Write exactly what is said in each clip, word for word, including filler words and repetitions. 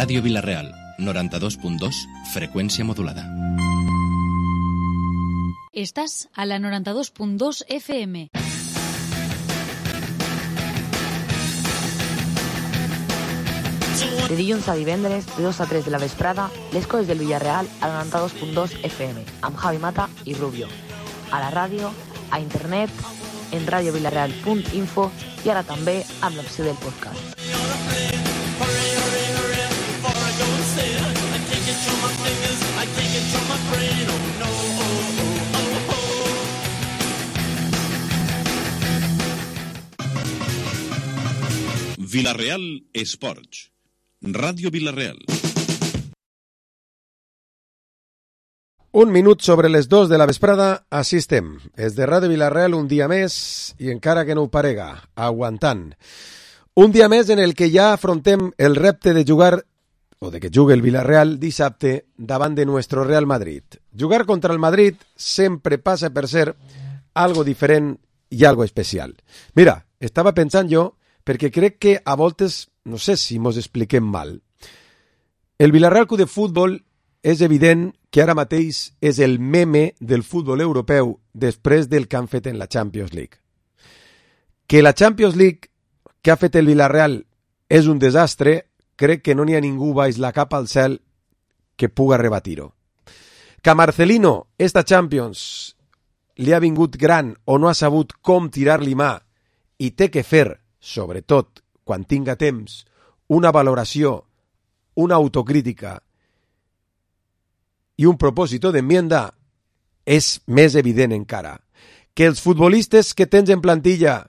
Ràdio Vila-real, noranta-dos punt dos, freqüència modulada. Estàs a la noranta-dos punt dos F M. De dilluns a divendres, de dos a tres de la vesprada, les coses del Villarreal a la noranta-dos punt dos F M, amb Javi Mata i Rubio. A la ràdio, a internet, en radiovilareal punt info i ara també amb l'opció del podcast. Vila-real Esports. Ràdio Vila-real. Un minut sobre les dos de la vesprada, així estem. És de Ràdio Vila-real un dia més i encara que no ho parega, aguantant. Un dia més en el que ja afrontem el repte de jugar, o de que jugui el Vila-real dissabte davant de nuestro Real Madrid. Jugar contra el Madrid sempre passa per ser algo diferent i algo especial. Mira, estava pensant jo, perquè crec que a voltes, no sé si mos expliquem mal. El Villarreal Club de Futbol és evident que ara mateix és el meme del futbol europeu després del que han fet en la Champions League. Que la Champions League que ha fet el Villarreal és un desastre, crec que no n'hi ha ningú baix la capa al cel que puga rebatir-ho. Que a Marcelino esta Champions li ha vingut gran o no ha sabut com tirar-li mà i té que fer, sobretot quan tinga temps, una valoració, una autocrítica i un propòsit d'enmienda, és més evident encara. Que els futbolistes que tens en plantilla,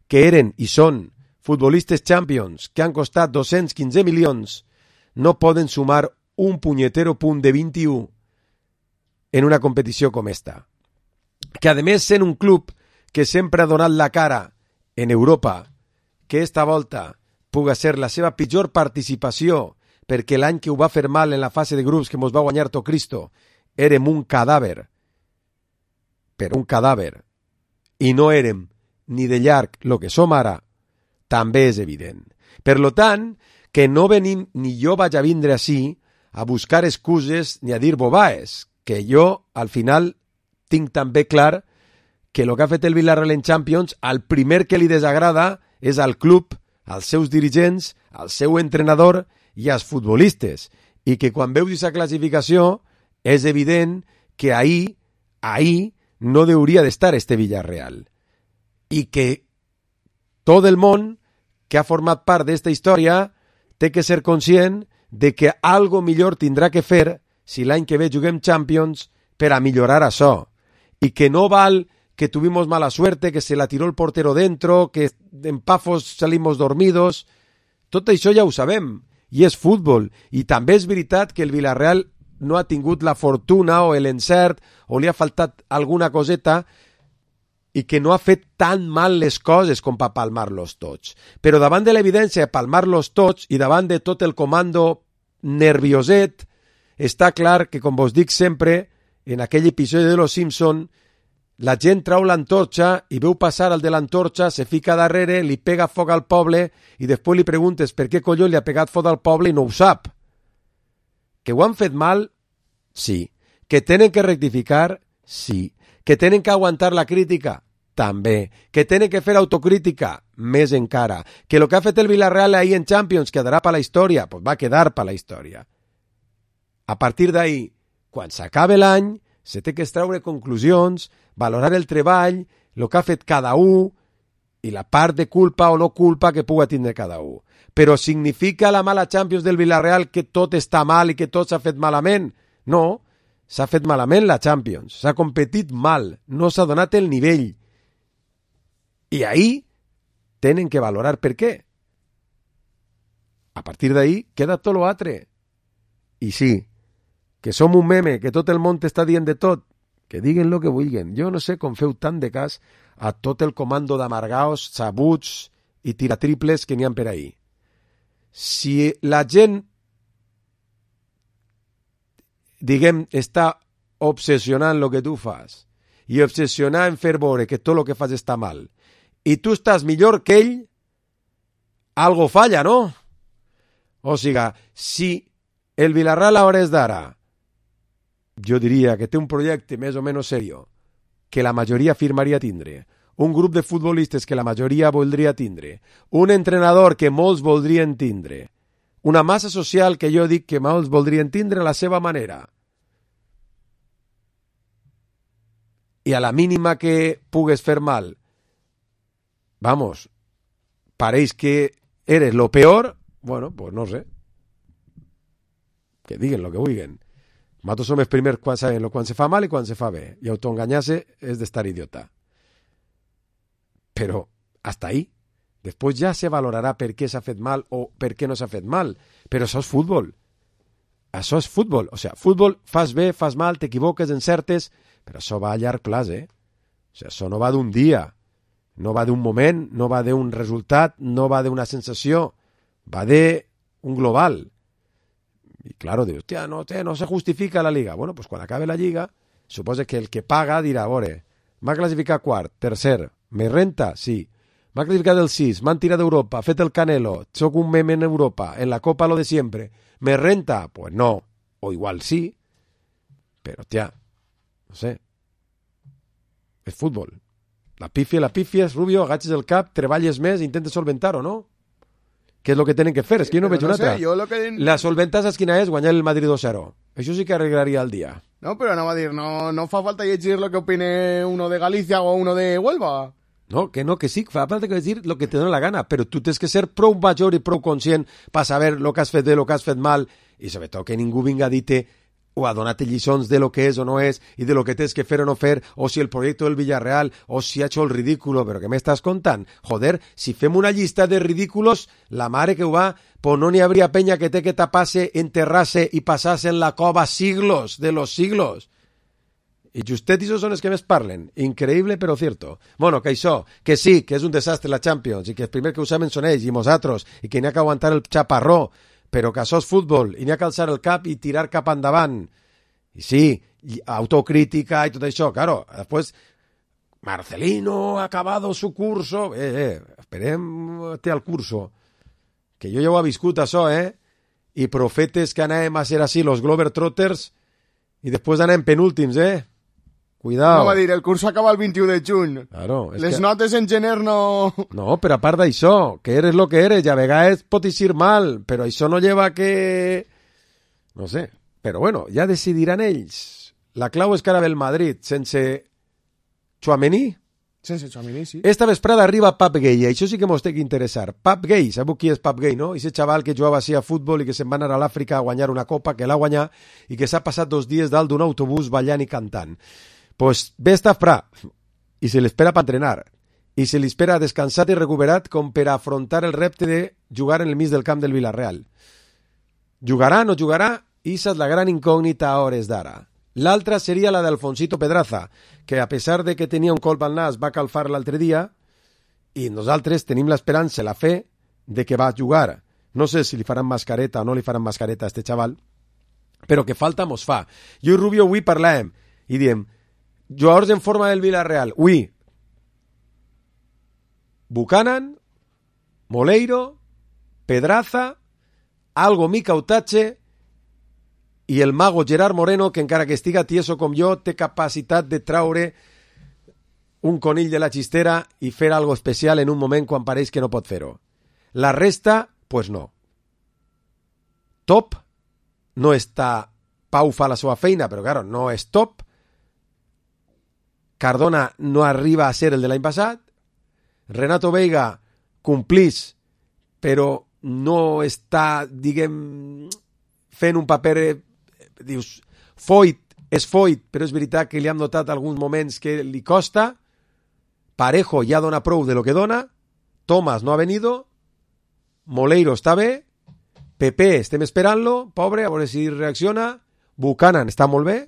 que eren i són futbolistes champions, que han costat dos-cents quinze milions, no poden sumar un punyetero punt de vint-i-u en una competició com esta. Que, a més, sent un club que sempre ha donat la cara en Europa, que esta volta puga ser la seva pitjor participació, perquè l'any que ho va fer mal en la fase de grups que mos va guanyar tot Cristo, érem un cadàver, però un cadàver, i no érem ni de llarg lo que som ara, també és evident. Per lo tant, que no venim, ni jo vaig a vindre ací a buscar excuses ni a dir bobaes, que jo, al final, tinc també clar que el que ha fet el Villarreal en Champions, al primer que li desagrada és al club, als seus dirigents, al seu entrenador i als futbolistes. I que quan veus aquesta classificació és evident que ahí, ahí no hauria d'estar este Villarreal. I que tot el món que ha format part d'esta història té que ser conscient de que algo millor tindrà que fer si l'any que ve juguem Champions per a millorar això. I que no val que tuvimos mala suerte, que se la tiró el portero dentro, que en Pafos salimos dormidos. Tot això ja ho sabem, i és futbol. I també és veritat que el Villarreal no ha tingut la fortuna o l'encert, o li ha faltat alguna coseta, i que no ha fet tan mal les coses com per palmar-los tots. Però davant de l'evidència de palmar-los tots, i davant de tot el comando nervioset, està clar que, com vos dic sempre, en aquell episodi de Los Simpson, la gent trau l'antorxa i veu passar el de l'antorxa, se fica darrere, li pega foc al poble i després li preguntes per què colló li ha pegat foc al poble i no ho sap. Que ho han fet mal? Sí. Que tenen que rectificar? Sí. Que tenen que aguantar la crítica? També. Que tenen que fer autocrítica? Més encara. Que el que ha fet el Villarreal ahir en Champions quedarà per la història? Pues va quedar per la història. A partir d'ahir, quan s'acabe l'any, se té que extraure conclusions, valorar el treball, el que ha fet cada un i la part de culpa o no culpa que puga tindre cada un. Però significa la mala Champions del Villarreal que tot està mal i que tot s'ha fet malament? No, s'ha fet malament la Champions, s'ha competit mal, no s'ha donat el nivell. I ahí tenen que valorar per què. A partir d'ahí queda tot l'altre. I sí, que som un meme, que tot el món t'està dient de tot, que diguen lo que vulguen. Jo no sé com feu tant de cas a tot el comando d'amargaos, sabuts i tiratriples que n'hi ha per ahí. Si la gent, diguem, està obsessionant lo que tu fas i obsessionant en fer veure que tot lo que fas està mal i tu estàs millor que ell, algo falla, no? O sigui, si el Villarreal a hores d'ara, jo diria que té un projecte més o menys serio, que la majoria firmaria tindre, un grup de futbolistes que la majoria voldria tindre, un entrenador que molts voldrien tindre, una massa social que jo dic que molts voldrien tindre a la seva manera. I a la mínima que pugues fer mal, vamos, pareix que eres lo peor, bueno, pues no sé. Que diguen lo que vulguen. Nosaltres som els primers quan sabem lo quan se fa mal i quan se fa bé. I autoenganyar-se és d'estar idiota. Però, hasta ahí. Després ja se valorarà per què s'ha fet mal o per què no s'ha fet mal. Però això és futbol. Això és futbol. O sigui, futbol, fas bé, fas mal, t'equivoques, encertes, però això va a llarg plaç, eh? O sigui, això no va d'un dia, no va d'un moment, no va d'un resultat, no va d'una sensació, va d'un global. I, claro, dius, hòstia, no, té, no se justifica la Liga. Bueno, pues quan acabe la Lliga, suposa que el que paga dirà, a veure, m'ha classificat quart, tercer, me renta? Sí. M'ha classificat el sis, m'han tirat d'Europa, fet el Canelo, soc un meme en Europa, en la Copa lo de siempre. ¿Me renta? Pues no. O igual sí. Pero, tía, no sé. És futbol. La pifia, la pifia, Rubio, agaches el cap, treballes més, intentes solventar-ho, no? Què és el que tenen que fer? És que jo no veig no una sé, altra. jo lo que... La solventa saps quina és? Guanyar el Madrid dos cero. Això sí que arreglaria el dia. No, però anava a dir, no, no fa falta llegir lo que opine uno de Galicia o uno de Huelva. No, que no, que sí, fa falta que decir lo que te dona la gana, però tu tens que ser prou major i prou conscient per saber lo que has fet bé, lo que has fet mal, i sobretot que ningú vinga a dir-te o a donar-te lliçons de lo que és o no és, i de lo que tens que fer o no fer, o si el projecte del Villarreal, o si ha hecho el ridículo, però què m'estàs contant? Joder, si fem una llista de ridículos, la mare que ho va, pues no n'hi hauria penya que té que tapar-se, enterrar-se i passar-se en la cova siglos de los siglos. I justet i són els que més parlen. Increïble però cierto. Bueno, que això, que sí, que és un desastre la Champions, i que els primers que ho saben són ells i nosaltres, i que n'hi ha que aguantar el xaparró, però que això és futbol, i n'hi ha que alçar el cap i tirar cap endavant. I sí, i autocrítica i tot això, claro. Després, Marcelino ha acabado su curso. Eh, eh, esperem-te al curso. Que jo ja ho he viscut, això, eh? I profetes que anàvem a ser així, los Globetrotters, i després anem penúltims, eh? Cuidao. No va dir, el curso acaba el vint-i-u de juny. Claro, Les que... notes en gener no... No, però a part d'això, que eres lo que eres, i a vegades pot eixir mal, però això no lleva que... No sé, però bueno, ja decidiran ells. La clau és que ara ve el Madrid, sense Tchouaméni. Sense Tchouaméni, sí. Esta vesprada arriba Pap Gay, i això sí que mos té que interessar. Pap Gay, sabeu qui és Pap Gay, no? Ese xaval que jugava així a futbol i que se'n va anar a l'Àfrica a guanyar una copa, que l'ha guanyat, i que s'ha passat dos dies dalt d'un autobús ballant i cantant. Pues ve esta fra y se le espera para entrenar y se le espera descansat i recuperat com per afrontar el repte de jugar en el mig del camp del Villarreal. Jugarà o no jugarà? Esa és la gran incògnita a hores d'ara. L'altra seria la d'Alfonsito Pedraza, que a pesar de que tenia un colp al nas va calfar l'altre dia i nosaltres tenim l'esperança, la fe, de que va jugar. No sé si li faran mascareta o no li faran mascareta a este xaval, però que falta mos fa. Jo i Rubio avui parlàvem i diem jugadors en forma del Villarreal. Ui, Buchanan, Moleiro, Pedraza, Algo Mica Utache i el mago Gerard Moreno, que encara que estiga tieso com jo, té capacitat de traure un conill de la xistera i fer algo especial en un moment quan pareix que no pot fer-ho. La resta, pues no. Top no està... Pau fa la seva feina, però claro, no és top. Cardona no arriba a ser el de l'any passat, Renato Veiga complís, però no està, diguem, fent un paper, eh, dius, Foyt és Foyt, però és veritat que li hem notat alguns moments que li costa, Parejo ja dona prou de lo que dona, Tomás no ha venido, Moleiro està bé, Pepe estem esperant-lo, pobre, a veure si reacciona, Buchanan està molt bé,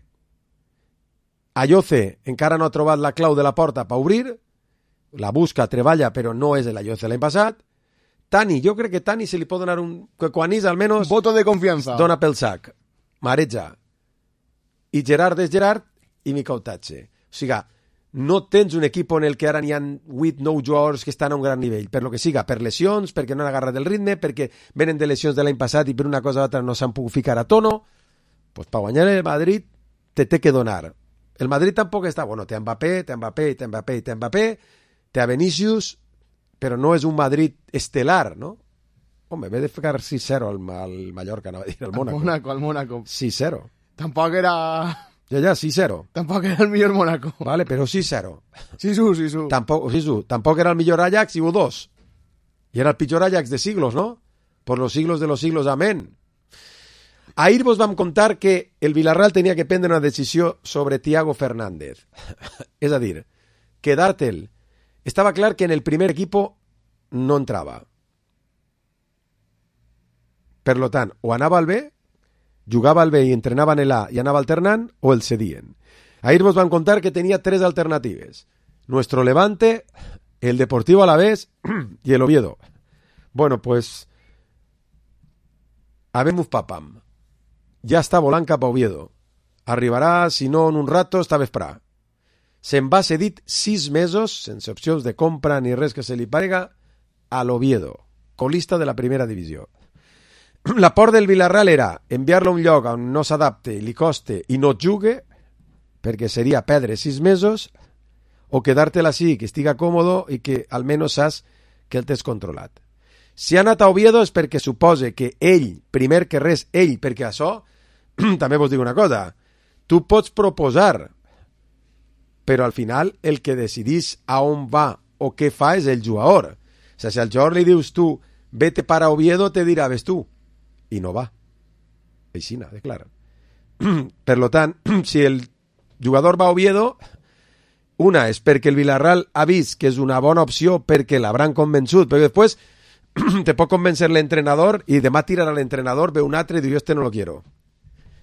Ayoce encara no ha trobat la clau de la porta per obrir, la busca, treballa, però no és l'Ayoce l'any passat. Tani, jo crec que Tani se li pot donar un... que quan és almenys... Voto de confiança. Dona pel sac, mareja. I Gerard és Gerard i Mica Utache. O sigui, no tens un equip en el que ara n'hi ha vuit nou jugadors que estan a un gran nivell, per lo que siga, per lesions, perquè no han agarrat el ritme, perquè venen de lesions de l'any passat i per una cosa o altra no s'han pogut ficar a tono, pues per guanyar el Madrid te té que donar. El Madrid tampoc està, bueno, té Mbappé, té Mbappé, té Mbappé, té Mbappé, té a Vinicius, però no és un Madrid estelar, no? Home, ve de ficar sis zero al, al Mallorca, no va dir, al Mónaco. Al Mónaco, al Mónaco. sis zero. Tampoc era... Ja, ja, sis zero. Tampoc era el millor Mónaco. Vale, però sis zero. Sisu, Sisu. Tampoc, Sisu, tampoc era el millor Ajax i hubo dos. Y era el pitjor Ajax de siglos, ¿no? Por los siglos de los siglos, amén. Ahir vos vam contar que el Villarreal tenia que prendre una decisió sobre Thiago Fernández. És a dir, quedar-te'l. Estava clar que en el primer equipo no entrava. Per lo tant, o anava al B, jugava al B i entrenava en el A i anava alternant, o el cedien. Ahir vos van contar que tenia tres alternatives. Nuestro Levante, el Deportivo Alavés y el Oviedo. Bueno, pues... habemos papam. Ja està volant cap a Oviedo. Arribarà, si no, en un rato, esta vesprà. Se'n va cedit sis mesos, sense opcions de compra ni res que se li parega, a l'Oviedo, colista de la primera divisió. La por del Villarreal era enviar-lo a un lloc on no s'adapte, li coste i no jugue, perquè seria perdre sis mesos, o quedar-te-la així, que estiga còmodo i que almenys saps que el tens controlat. Si ha anat a Oviedo és perquè supose que ell, primer que res, ell, perquè això, també vos dic una cosa, tu pots proposar, però al final el que decidís a on va o què fa és el jugador. O sigui, si al jugador li dius tu, vete para Oviedo, te dirà, ves tu. I no va. Aixina, de clar. Per lo tant, si el jugador va a Oviedo, una és perquè el Villarreal ha vist que és una bona opció perquè l'hauran convençut, però després te pot convencer l'entrenador i demà tirarà l'entrenador, ve un altre i diu, jo este no lo quiero.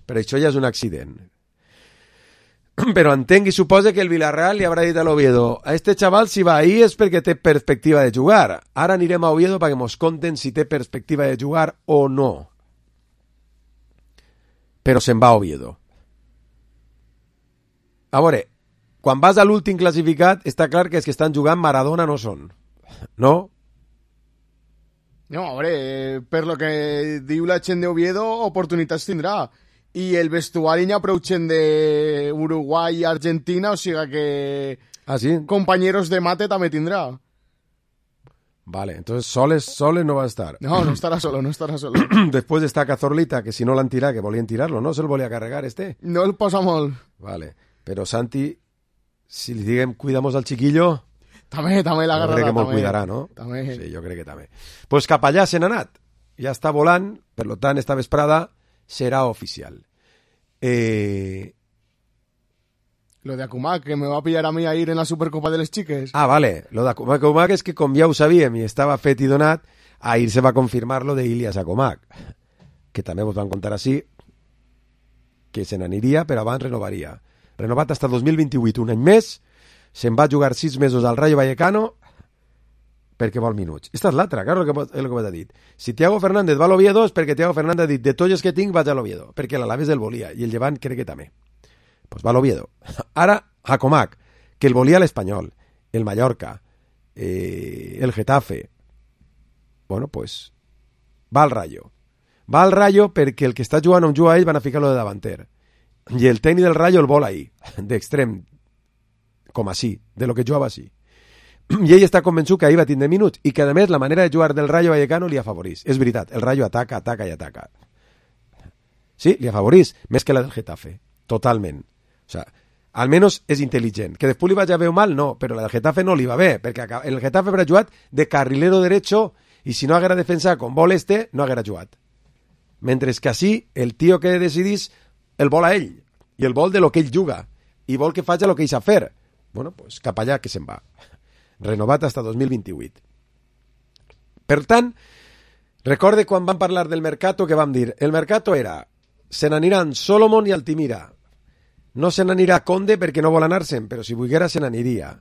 Però això ja és un accident. Però entenc i suposa que el Villarreal li haurà dit a l'Oviedo, a este xaval si va ahí és perquè té perspectiva de jugar. Ara anirem a Oviedo perquè mos conten si té perspectiva de jugar o no. Però se'n va a Oviedo. A veure, quan vas a l'últim classificat, està clar que els que estan jugant Maradona no són. No? No, a veure, per lo que diu la gent d'Oviedo, oportunitats tindrà. I el vestuari n'hi ha prou gent d'Uruguai i Argentina, o sigui que... Ah, sí? Compañeros de mate també tindrà. Vale, entonces soles, soles no va a estar. No, no estarà solo, no estarà solo. Después está Cazorlita, que si no l'han tirat, que volien tirarlo, no? Se'l volia carregar este. No el posa molt. Vale, però Santi, si li diguem cuidamos al chiquillo... També, també l'agarrarà, també. Jo crec que me'l també. cuidarà, no? També. Sí, jo crec que també. Pues cap allà se n'ha anat. Ja està volant, per lo tant, esta vesprada serà oficial. Eh... Lo de Akumak, que me va a pillar a mí a ir en la Supercopa de les Chiques. Ah, vale. Lo de Akumak, Akumak és que, com ja ho sabíem i estava fet i donat, ahir se va confirmar lo de Ilias Akumak, que també vos van contar així, que se n'aniria, però abans renovaria. Renovat hasta dos mil vint-i-vuit, un any més, se'n va jugar sis mesos al Rayo Vallecano perquè vol minuts. Esta és l'altra, claro, és el que m'ha dit. Si Thiago Fernández va a l'Oviedo és perquè Thiago Fernández ha dit, de tots els que tinc vaig a l'Oviedo, perquè l'Alaves el volia, i el Llevant crec que també. Pues va a l'Oviedo. Ara, Akumak, que el volia l'Espanyol, el Mallorca, eh, el Getafe. Bueno, pues va al Rayo. Va al Rayo perquè el que està jugant on juga ell van a ficar-lo de davanter. I el tècnic del Rayo el vol ahí, d'extrem, com així, de lo que jugava així. I ell està convençut que ahir va tindre minuts i que, a més, la manera de jugar del Rayo Vallecano li afavorís. És veritat, el Rayo ataca, ataca i ataca. Sí, li afavorís, més que la del Getafe. Totalment. O sea, almenys és intel·ligent. Que després li vaig a veure mal, no, però la del Getafe no li va bé, perquè el Getafe haurà jugat de carrilero derecho i si no haguera defensat com vol este, no haguera jugat. Mentre que així, el tio que decidís el vol a ell, i el vol de lo que ell juga, i vol que faci el que ell sap fer. Bueno, pues cap allà que se'n va. Renovat hasta dos mil vint-i-vuit. Per tant, recorde quan vam parlar del mercato que vam dir, el mercato era, se n'aniran Solomon i Altimira. No se n'anirà Conde perquè no vol anar-se'n, però si volguera se n'aniria.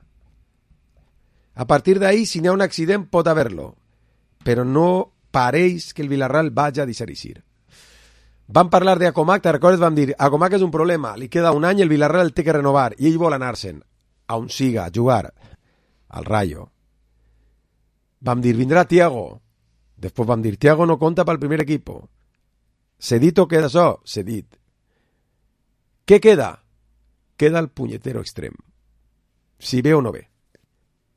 A partir d'ahí, si n'hi ha un accident, pot haver-lo. Però no pareix que el Villarreal vagi a deixar-eixir. Vam parlar de Akumak, te recordes? Vam dir, Akumak és un problema, li queda un any, el Villarreal el té que renovar, i ell vol anar-se'n. a on siga a jugar al Rayo. Vam dir, vindrà Thiago. Després vam dir, Thiago no compta pel primer equipo. Cedit o queda això? Cedit. Què queda? Queda el punyetero extrem. Si ve o no ve.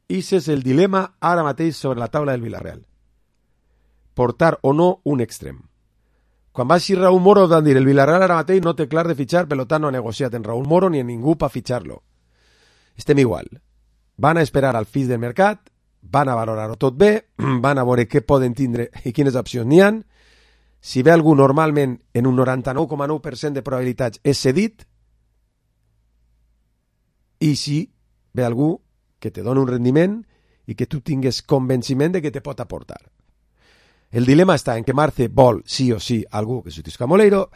Ese és el dilema ara mateix sobre la taula del Villarreal. Portar o no un extrem. Quan va així Raúl Moro van dir, el Villarreal ara mateix no té clar de fitxar, per tant no ha negociat en Raúl Moro ni en ningú per fitxar-lo. Estem igual. Van a esperar al fills del mercat, van a valorar-ho tot bé, van a veure què poden tindre i quines opcions n'hi ha. Si ve algú normalment en un noranta-nou coma nou per cent de probabilitats és cedit, i si ve algú que te dona un rendiment i que tu tingues convenciment de que te pot aportar. El dilema està en que Marce vol sí o sí algú que substituisca a Moleiro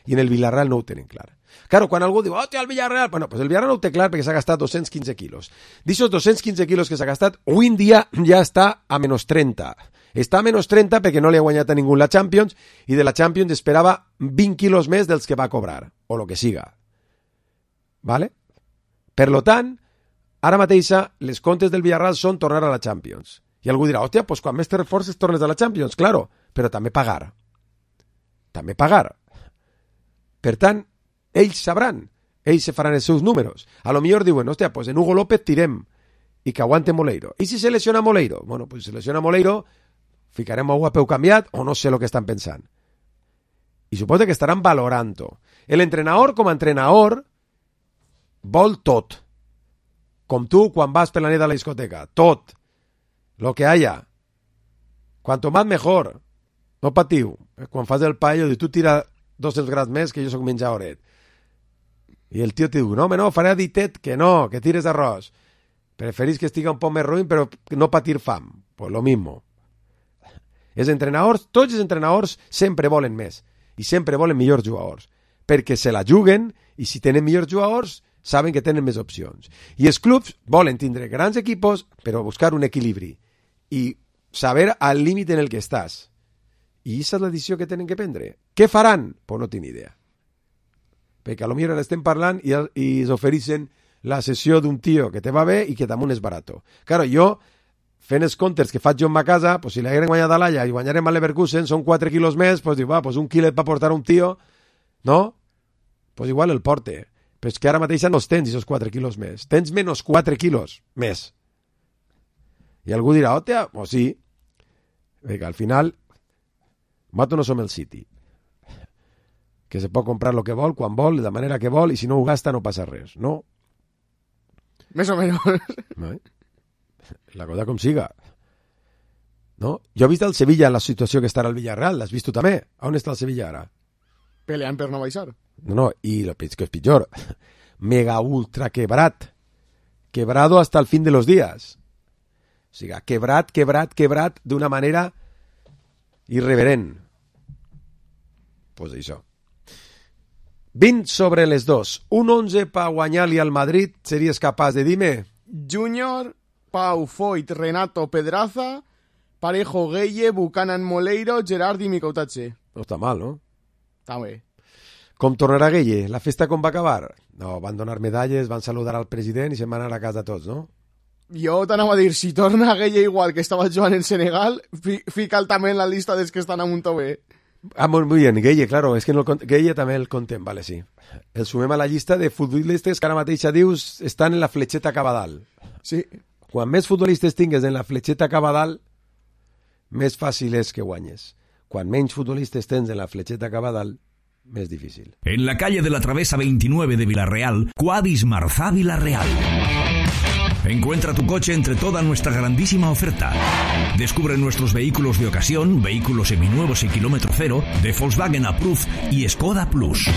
i en el Villarreal no ho tenen clar. Claro, quan algú diu, oh, té el Villarreal, bueno, pues el Villarreal no ho té clar perquè s'ha gastat dos-cents quinze quilos. D'ixos dos-cents quinze quilos que s'ha gastat, avui en dia ja està a menys trenta. Està a menys trenta perquè no li ha guanyat a ningú la Champions i de la Champions esperava vint quilos més dels que va cobrar, o lo que siga. Vale? Per lo tant, ara mateixa, les comptes del Villarreal són tornar a la Champions. I algú dirà, hòstia, pues quan més te reforces tornes a la Champions, claro, però també pagar. També pagar. Per tant, ells sabran, ells se faran els seus números. A lo millor diuen, hòstia, pues en Hugo López tirem i que aguante Moleiro. I si se lesiona Moleiro? Bueno, pues si se lesiona Moleiro, ficarem algú a peu canviat o no sé el que estan pensant. I suposo que estaran valorant-ho. L'entrenador, com a entrenador, vol tot. Com tu quan vas per la nit a la discoteca. Tot. Lo que haya. Cuanto más mejor. No patiu. Quan fas el paello, tu tira dos-cents grams més que jo soc menjadoret. I el tio te diu, no, home, no, faré ditet, que no, que tires arròs. Preferís que estiga un poc més ruïn, però no patir fam. Pues lo mismo. Els entrenadors, tots els entrenadors sempre volen més. I sempre volen millors jugadors. Perquè se la juguen i si tenen millors jugadors, saben que tenen més opcions. I els clubs volen tindre grans equipos, però buscar un equilibri. I saber al límit en el que estàs. I aquesta és la decisió que tenen que prendre. Què faran? Pues no tinc idea. Perquè a lo millor estem parlant i, i s'ofereixen la sessió d'un tio que te va bé i que damunt és barato. Claro, jo, fent els comptes que faig jo en ma casa, pues si l'hagueren guanyat a l'Alla i guanyarem a Leverkusen, són quatre quilos més, pues diu, va, pues un quilet per portar un tio, no? Pues igual el porte. Però és que ara mateix no els tens, aquests quatre quilos més. Tens menys quatre quilos més. I algú dirà, hòstia, o sí, perquè al final nosaltres no som el City, que se pot comprar el que vol, quan vol, de manera que vol, i si no ho gasta no passa res, no? Més o menys. No, eh? La cosa com siga. No? Jo he vist el Sevilla en la situació que està al Villarreal, l'has vist tu també? On està el Sevilla ara? Peleant per no baixar. No, no, i lo que és pitjor, mega ultra quebrat, quebrado hasta el fin de los días. O sigui, quebrat, quebrat, quebrat d'una manera irreverent. Pues això. vint sobre les dos. Un onze per guanyar-li al Madrid, series capaç de dir-me? Júnior, Pau, Foyt, Renato, Pedraza, Parejo, Gueye, Buchanan, Moleiro, Gerard i Micoutatxe. No està mal, no? Està bé. Com tornarà Gueye? La festa com va acabar? No, van donar medalles, van saludar al president i se'n van anar a casa tots, no? Jo t'anava a dir, si torna Gueye igual que estava jugant en Senegal, fi, fica'l també en la lista dels que estan a Montové. Ah, muy bien, Gueye, claro, es que no el, Gueye també el contem, vale, sí. El sumem a la llista de futbolistes que ara mateixa dius estan en la fletxeta cap a dalt. Sí. Quan més futbolistes tingues en la fletxeta cap a dalt, més fàcil és que guanyes. Quan menys futbolistes tens en la fletxeta cap a dalt, més difícil. En la calle de la Travesa veintinueve de Villarreal, Quadis Marzá Villarreal. Encuentra tu coche entre toda nuestra grandísima oferta. Descubre nuestros vehículos de ocasión, vehículos seminuevos y kilómetro cero, de Volkswagen Approved y Skoda Plus.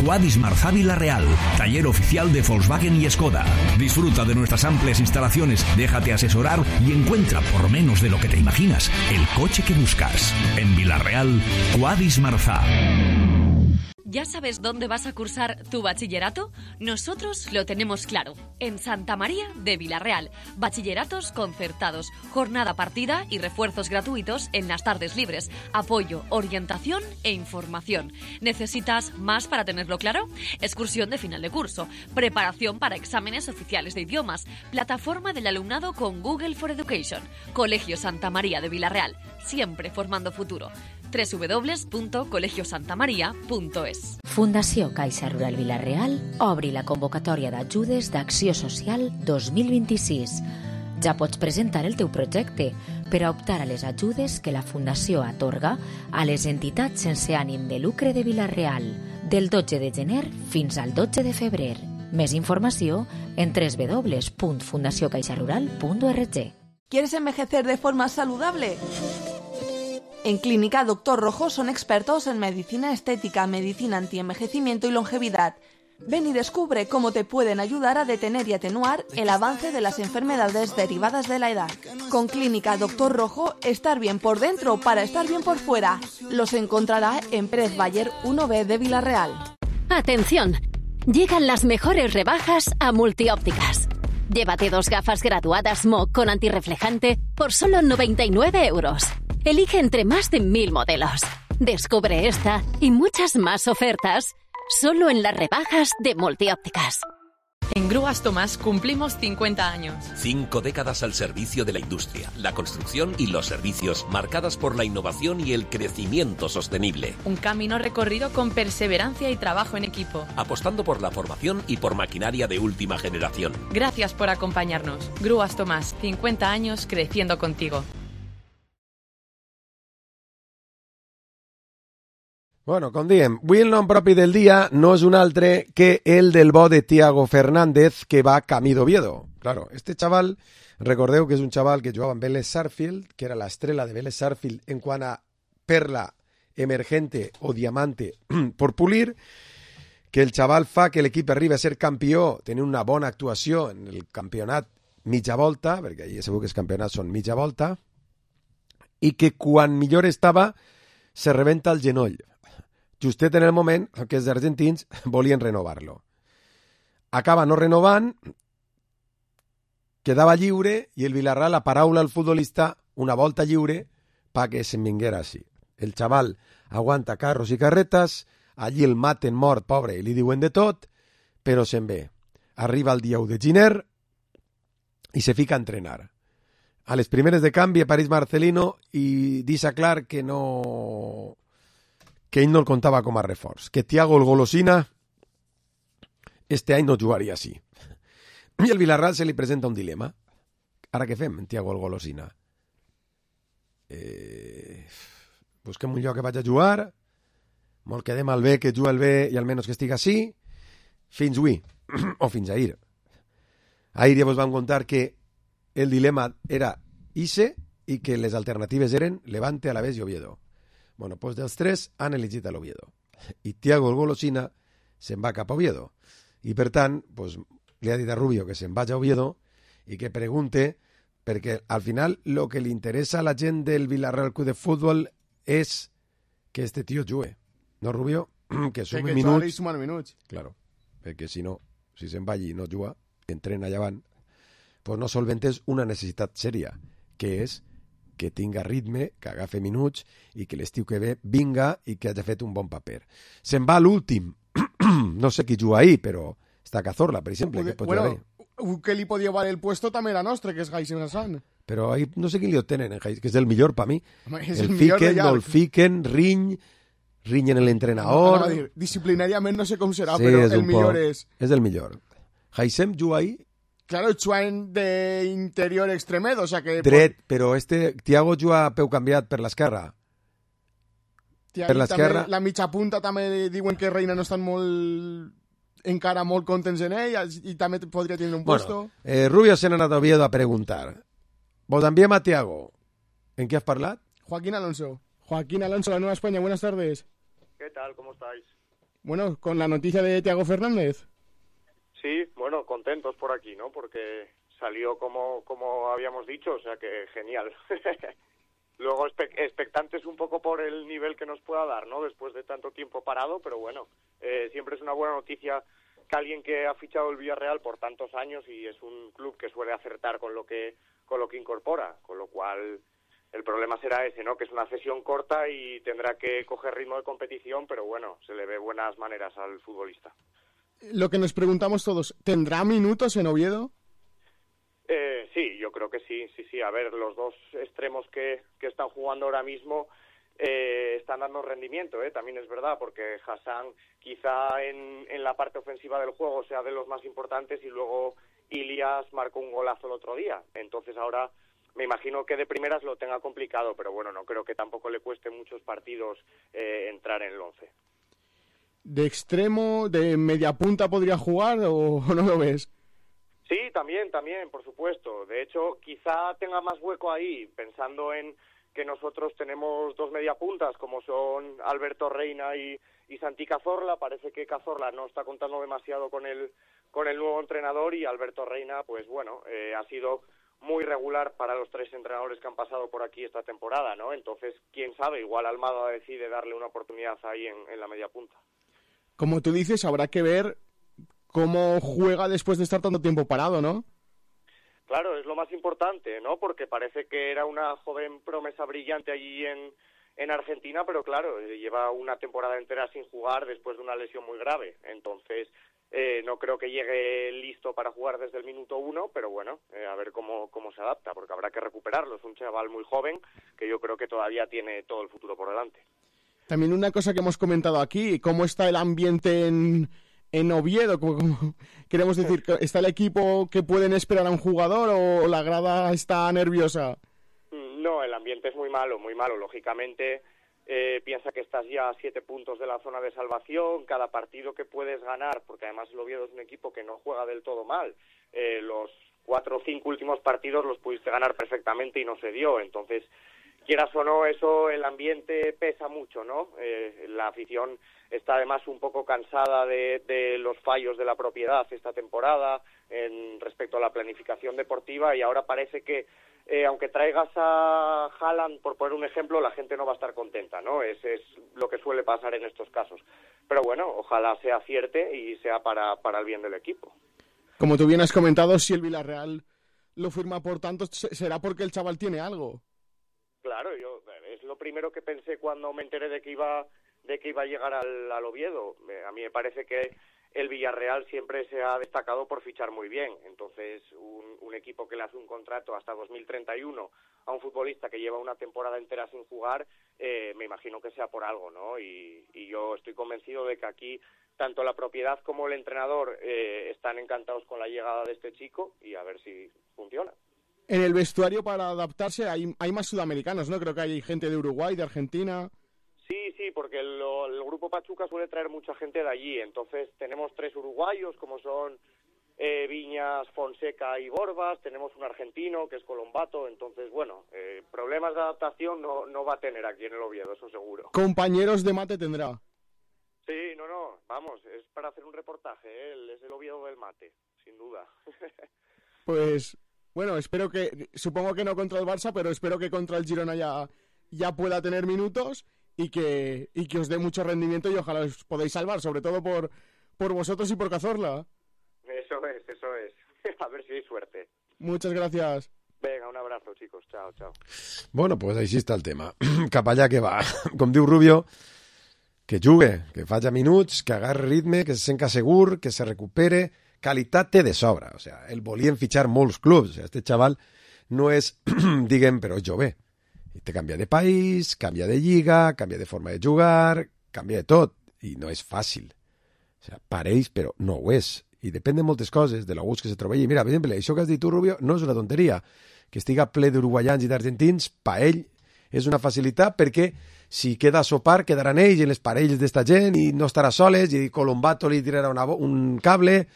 Quadis Marzá Villarreal, taller oficial de Volkswagen y Skoda. Disfruta de nuestras amplias instalaciones, déjate asesorar y encuentra por menos de lo que te imaginas el coche que buscas. En Villarreal, Quadis Marzá. ¿Ya sabes dónde vas a cursar tu bachillerato? Nosotros lo tenemos claro. En Santa María de Vilarreal. Bachilleratos concertados, jornada partida y refuerzos gratuitos en las tardes libres. Apoyo, orientación e información. ¿Necesitas más para tenerlo claro? Excursión de final de curso. Preparación para exámenes oficiales de idiomas. Plataforma del alumnado con Google for Education. Colegio Santa María de Vilarreal. Siempre formando futuro. doble u doble u doble u punt colegio santa maria punt es. Fundació Caixa Rural Vilarreal obri la convocatòria d'ajudes d'Acció Social dos mil vint-i-sis. Ja pots presentar el teu projecte per a optar a les ajudes que la Fundació atorga a les entitats sense ànim de lucre de Vilarreal del dotze de gener fins al dotze de febrer. Més informació en doble u doble u doble u punt fundació caixa rural punt org. ¿Quieres envejecer de forma saludable? En Clínica Doctor Rojo son expertos en medicina estética, medicina antienvejecimiento y longevidad. Ven y descubre cómo te pueden ayudar a detener y atenuar el avance de las enfermedades derivadas de la edad. Con Clínica Doctor Rojo, estar bien por dentro para estar bien por fuera. Los encontrará en Pérez Bayer uno B de Vilarreal. ¡Atención! Llegan las mejores rebajas a Multiópticas. Llévate dos gafas graduadas M O con antirreflejante por solo noventa y nueve euros. Elige entre más de mil modelos. Descubre esta y muchas más ofertas solo en las rebajas de Multiópticas. En Grúas Tomás cumplimos cincuenta años. Cinco décadas al servicio de la industria, la construcción y los servicios, marcadas por la innovación y el crecimiento sostenible. Un camino recorrido con perseverancia y trabajo en equipo. Apostando por la formación y por maquinaria de última generación. Gracias por acompañarnos. Grúas Tomás, cincuenta años creciendo contigo. Bueno, com diem, avui el nom propi del dia no és un altre que el del bo de Thiago Fernández, que va camí d'Oviedo. Claro, este chaval, recordeu que és un chaval que jugava en Vélez Sarsfield, que era la estrella de Vélez Sarsfield en quant a perla emergente o diamante por pulir, que el chaval fa que l'equip arribi a ser campió, tenir una bona actuació en el campionat mitja volta, perquè allà segur que els campionats són mitja volta, i que quan millor estava se rebenta el genoll. Justet en el moment que els argentins volien renovar-lo. Acaba no renovant, quedava lliure i el Villarreal la paraula al futbolista una volta lliure pa que se'n vinguera així. El xaval aguanta carros i carretes, allí el maten mort, pobre, i li diuen de tot, però se'n ve. Arriba el dia u de gener i se fica a entrenar. A les primeres de canvi apareix Marcelino i deixa clar que no... que ell no el contava com a reforç, que Thiago el Golosina este any no jugaria així. I al Villarreal se li presenta un dilema. Ara què fem, en Thiago el Golosina? Eh, busquem un lloc que vaig a jugar, molt quedem al bé que juga el bé i almenys que estigui així, fins avui, o fins ahir. Ahir ja vos vam contar que el dilema era ixe i que les alternatives eren Levante, Alavés i Oviedo. Bueno, doncs dels tres han elegit a l'Oviedo. I Thiago el Golosina se'n va cap a Oviedo. I per tant, doncs, li ha dit a Rubio que se'n vagi a Oviedo i que pregunte, perquè al final el que li interessa a la gent del Villarreal Club de Futbol és que este tio jugui. No, Rubio? Que sumi que minuts. Que sumar minuts. Claro, perquè si no, si se'n va allí i no juga, entrena allà avant, doncs no solventes una necessitat sèria, que és que tinga ritme, que agafi minuts i que l'estiu que ve vinga i que hagi fet un bon paper. Se'n va l'últim, no sé qui juga ahí, però està Cazorla, per exemple, que pot bueno, jugar. Un que li podia valer el puesto també era nostre, que és Jason Hassan. Però ahí no sé qui li obtenen, que és el millor per mi. Home, és el, el fiquen, millor no el fiquen, riñ, riñen l'entrenador. No, disciplinàriament no sé com serà, sí, però el millor poc, és... És el millor. Haisem juga ahí. Claro, Chuan de interior extremedo, o sea que... Dret, però este Thiago juga a peu canviat per l'esquerra. Per l'esquerra... La mitja punta també diuen que Reina no estan molt... encara molt contents en ell i també podria tenir un puesto. Bueno, eh, Rubio se n'ha anat a Oviedo a preguntar. Vos enviem a Thiago. ¿En qué has parlat? Joaquín Alonso. Joaquín Alonso, la Nueva España, buenas tardes. ¿Qué tal? ¿Cómo estáis? Bueno, con la noticia de Thiago Fernández. Sí, bueno, contentos por aquí, ¿no? Porque salió como, como habíamos dicho, o sea que genial. luego espe- expectantes un poco por el nivel que nos pueda dar, ¿no? Después de tanto tiempo parado, pero bueno, eh, siempre es una buena noticia que alguien que ha fichado el Villarreal por tantos años y es un club que suele acertar con lo que con lo que incorpora, con lo cual el problema será ese, ¿no? Que es una cesión corta y tendrá que coger ritmo de competición, pero bueno, se le ve buenas maneras al futbolista. Lo que nos preguntamos todos, ¿tendrá minutos en Oviedo? Eh, sí, yo creo que sí, sí, sí. A ver, los dos extremos que, que están jugando ahora mismo eh, están dando rendimiento, ¿eh? También es verdad, porque Hassan quizá en, en la parte ofensiva del juego sea de los más importantes y luego Ilias marcó un golazo el otro día. Entonces ahora me imagino que de primeras lo tenga complicado, pero bueno, no creo que tampoco le cueste muchos partidos eh, entrar en el once. ¿De extremo, de media punta podría jugar o no lo ves? Sí, también, también, por supuesto. De hecho, quizá tenga más hueco ahí, pensando en que nosotros tenemos dos mediapuntas, como son Alberto Reina y, y Santi Cazorla. Parece que Cazorla no está contando demasiado con el, con el nuevo entrenador y Alberto Reina, pues bueno, eh, ha sido muy regular para los tres entrenadores que han pasado por aquí esta temporada, ¿no? Entonces, quién sabe, igual Almada decide darle una oportunidad ahí en, en la mediapunta. Como tú dices, habrá que ver cómo juega después de estar tanto tiempo parado, ¿no? Claro, es lo más importante, ¿no? Porque parece que era una joven promesa brillante allí en, en Argentina, pero claro, lleva una temporada entera sin jugar después de una lesión muy grave. Entonces, eh, no creo que llegue listo para jugar desde el minuto uno, pero bueno, eh, a ver cómo, cómo se adapta, porque habrá que recuperarlo. Es un chaval muy joven que yo creo que todavía tiene todo el futuro por delante. También una cosa que hemos comentado aquí, ¿cómo está el ambiente en, en Oviedo? ¿Cómo, cómo, queremos decir, ¿está el equipo que pueden esperar a un jugador o la grada está nerviosa? No, el ambiente es muy malo, muy malo. Lógicamente, eh, piensa que estás ya a siete puntos de la zona de salvación, cada partido que puedes ganar, porque además el Oviedo es un equipo que no juega del todo mal. Eh, los cuatro o cinco últimos partidos los pudiste ganar perfectamente y no se dio, entonces quieras o no, eso, el ambiente pesa mucho, ¿no? Eh, la afición está además un poco cansada de, de los fallos de la propiedad esta temporada en respecto a la planificación deportiva y ahora parece que, eh, aunque traigas a Haaland, por poner un ejemplo, la gente no va a estar contenta, ¿no? Ese es lo que suele pasar en estos casos. Pero bueno, ojalá se acierte y sea para, para el bien del equipo. Como tú bien has comentado, si el Villarreal lo firma por tanto, será porque el chaval tiene algo. Claro, yo es lo primero que pensé cuando me enteré de que iba de que iba a llegar al, al Oviedo. A mí me parece que el Villarreal siempre se ha destacado por fichar muy bien. Entonces, un, un equipo que le hace un contrato hasta dos mil treinta y uno a un futbolista que lleva una temporada entera sin jugar, eh, me imagino que sea por algo, ¿no? Y, y yo estoy convencido de que aquí tanto la propiedad como el entrenador eh, están encantados con la llegada de este chico y a ver si funciona. En el vestuario, para adaptarse, hay, hay más sudamericanos, ¿no? Creo que hay gente de Uruguay, de Argentina. Sí, sí, porque el, el Grupo Pachuca suele traer mucha gente de allí. Entonces tenemos tres uruguayos, como son eh, Viñas, Fonseca y Borbas. Tenemos un argentino, que es Colombato. Entonces, bueno, eh, problemas de adaptación no, no va a tener aquí en el Oviedo, eso seguro. Compañeros de mate tendrá. Sí, no, no, vamos, es para hacer un reportaje, ¿eh? Él es el Oviedo del mate, sin duda. Pues... Bueno, espero que, supongo que no contra el Barça, pero espero que contra el Girona ya, ya pueda tener minutos y que, y que os dé mucho rendimiento y ojalá os podáis salvar, sobre todo por, por vosotros y por Cazorla. Eso es, eso es. A ver si hay suerte. Muchas gracias. Venga, un abrazo, chicos. Chao, chao. Bueno, pues així està el tema. Cap allà que va. Com diu Rubio, que jugue, que faci minuts, que agarre ritme, que se senta segur, que se recupere. Qualitat té de sobra, o sea, el volien fitxar molts clubs, o sea, este chaval no és, diguem, però és jove, i te canvia de país, canvia de lliga, canvia de forma de jugar, canvia de tot, i no és fàcil, o sea, pareix, però no ho és, i depèn de moltes coses, de l'agust que se troba allí. Mira, per exemple, això que has dit tu, Rubio, no és una tonteria, que estiga ple d'uruguaians i d'argentins, pa ell és una facilitat, perquè si queda a sopar, quedaran ells en les parelles d'esta gent, i no estarà soles, i Colombato li tirarà una, un cable.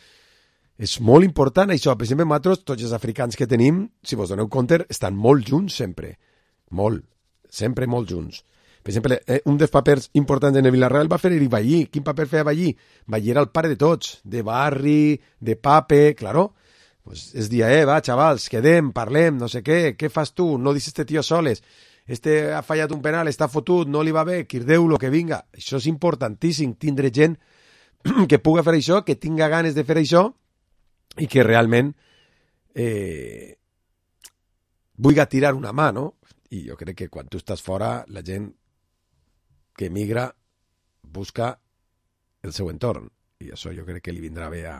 És molt important això. Per exemple, nosaltres, tots els africans que tenim, si vos doneu compte, estan molt junts sempre. Molt. Sempre molt junts. Per exemple, eh, un dels papers importants en el Villarreal va fer Eric Ballí. Quin paper feia Ballí? Ballí era el pare de tots. De barri, de pape, claro. Pues es dia, eh, va, xavals, quedem, parlem, no sé què, què fas tu? No deixes este tio soles. este ha fallat un penal, està fotut, no li va bé, quirdeu-lo, que vinga. Això és importantíssim, tindre gent que puga fer això, que tinga ganes de fer això i que realment eh, vulgui tirar una mà, no? I jo crec que quan tu estàs fora, la gent que emigra busca el seu entorn. I això jo crec que li vindrà bé a,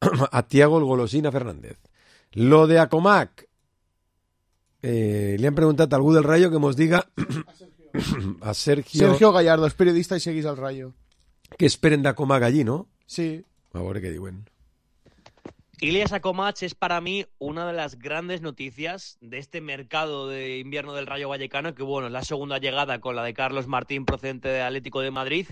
a Thiago el Golosina Fernández. Lo de Acomac, eh, li han preguntat a algú del Rayo que mos diga a Sergio... Sergio Gallardo, és periodista i seguís al Rayo. Que esperen de Acomac allí, ¿no? Sí. A ver qué diuen. Ilias Acomac es para mí una de las grandes noticias de este mercado de invierno del Rayo Vallecano, que bueno, es la segunda llegada con la de Carlos Martín procedente de Atlético de Madrid.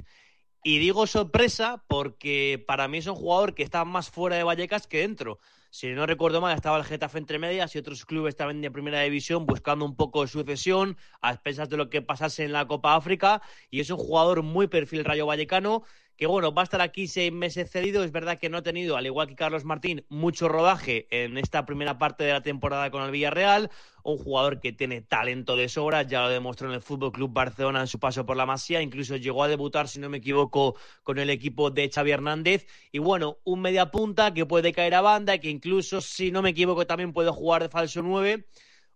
Y digo sorpresa porque para mí es un jugador que está más fuera de Vallecas que dentro. Si no recuerdo mal, estaba el Getafe entre medias y otros clubes también de primera división buscando un poco de sucesión a expensas de lo que pasase en la Copa África, y es un jugador muy perfil Rayo Vallecano que bueno, va a estar aquí seis meses cedido. Es verdad que no ha tenido, al igual que Carlos Martín, mucho rodaje en esta primera parte de la temporada con el Villarreal. Un jugador que tiene talento de sobra, ya lo demostró en el Fútbol Club Barcelona en su paso por la Masía, incluso llegó a debutar, si no me equivoco, con el equipo de Xavi Hernández. Y bueno, un media punta que puede caer a banda, que incluso, si no me equivoco, también puede jugar de falso nueve.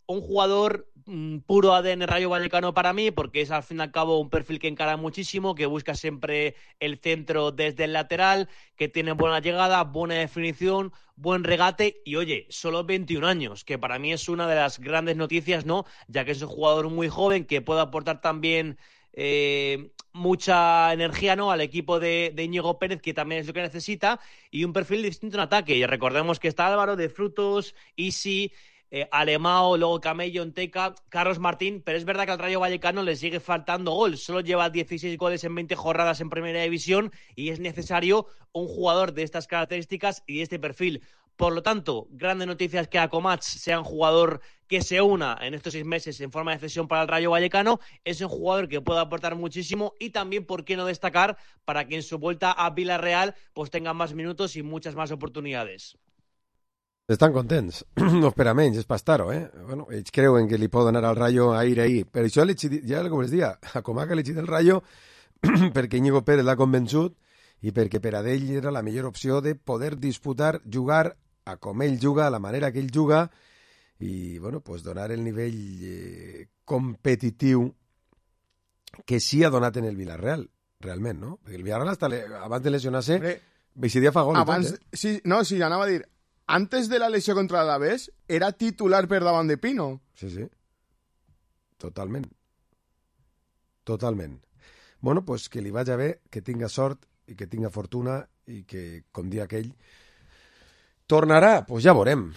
Un jugador mmm, puro A D N Rayo Vallecano para mí, porque es al fin y al cabo un perfil que encara muchísimo, que busca siempre el centro desde el lateral, que tiene buena llegada, buena definición, buen regate y, oye, solo veintiún años, que para mí es una de las grandes noticias, ¿no? Ya que es un jugador muy joven que puede aportar también eh, mucha energía, ¿no?, al equipo de, de Íñigo Pérez, que también es lo que necesita, y un perfil distinto en ataque. Y recordemos que está Álvaro de Frutos, Isi... Eh, Alemao, luego Camello, Enteca, Carlos Martín, pero es verdad que al Rayo Vallecano le sigue faltando gol, solo lleva dieciséis goles en veinte jornadas en Primera División y es necesario un jugador de estas características y de este perfil. Por lo tanto, grandes noticias que Acomac sea un jugador que se una en estos seis meses en forma de cesión para el Rayo Vallecano. Es un jugador que puede aportar muchísimo y también, ¿por qué no destacar?, para que en su vuelta a Villarreal pues tenga más minutos y muchas más oportunidades. Estan contents, no per a menys, és per estar-ho, eh? Bueno, ells creuen que li poden anar al Rayo a ir ahir, per això ja com es dia, a Comac ha elegit el Rayo perquè Íñigo Pérez l'ha convençut i perquè per a ell era la millor opció de poder disputar, jugar a com ell juga, a la manera que ell juga i, bueno, pues donar el nivell eh, competitiu que sí ha donat en el Villarreal, realment, no? Perquè el Villarreal hasta le, abans de lesionar-se, Beixidia fa gol. Abans, tot, eh? sí, no, sí, anava a dir, antes de la lesión contra el Alavés, era titular per davant de Pino. Sí, sí. Totalment. Totalment. Bueno, pues que li vagi bé, que tinga sort i que tinga fortuna i que, com dia aquell, tornarà. Pues ja veurem.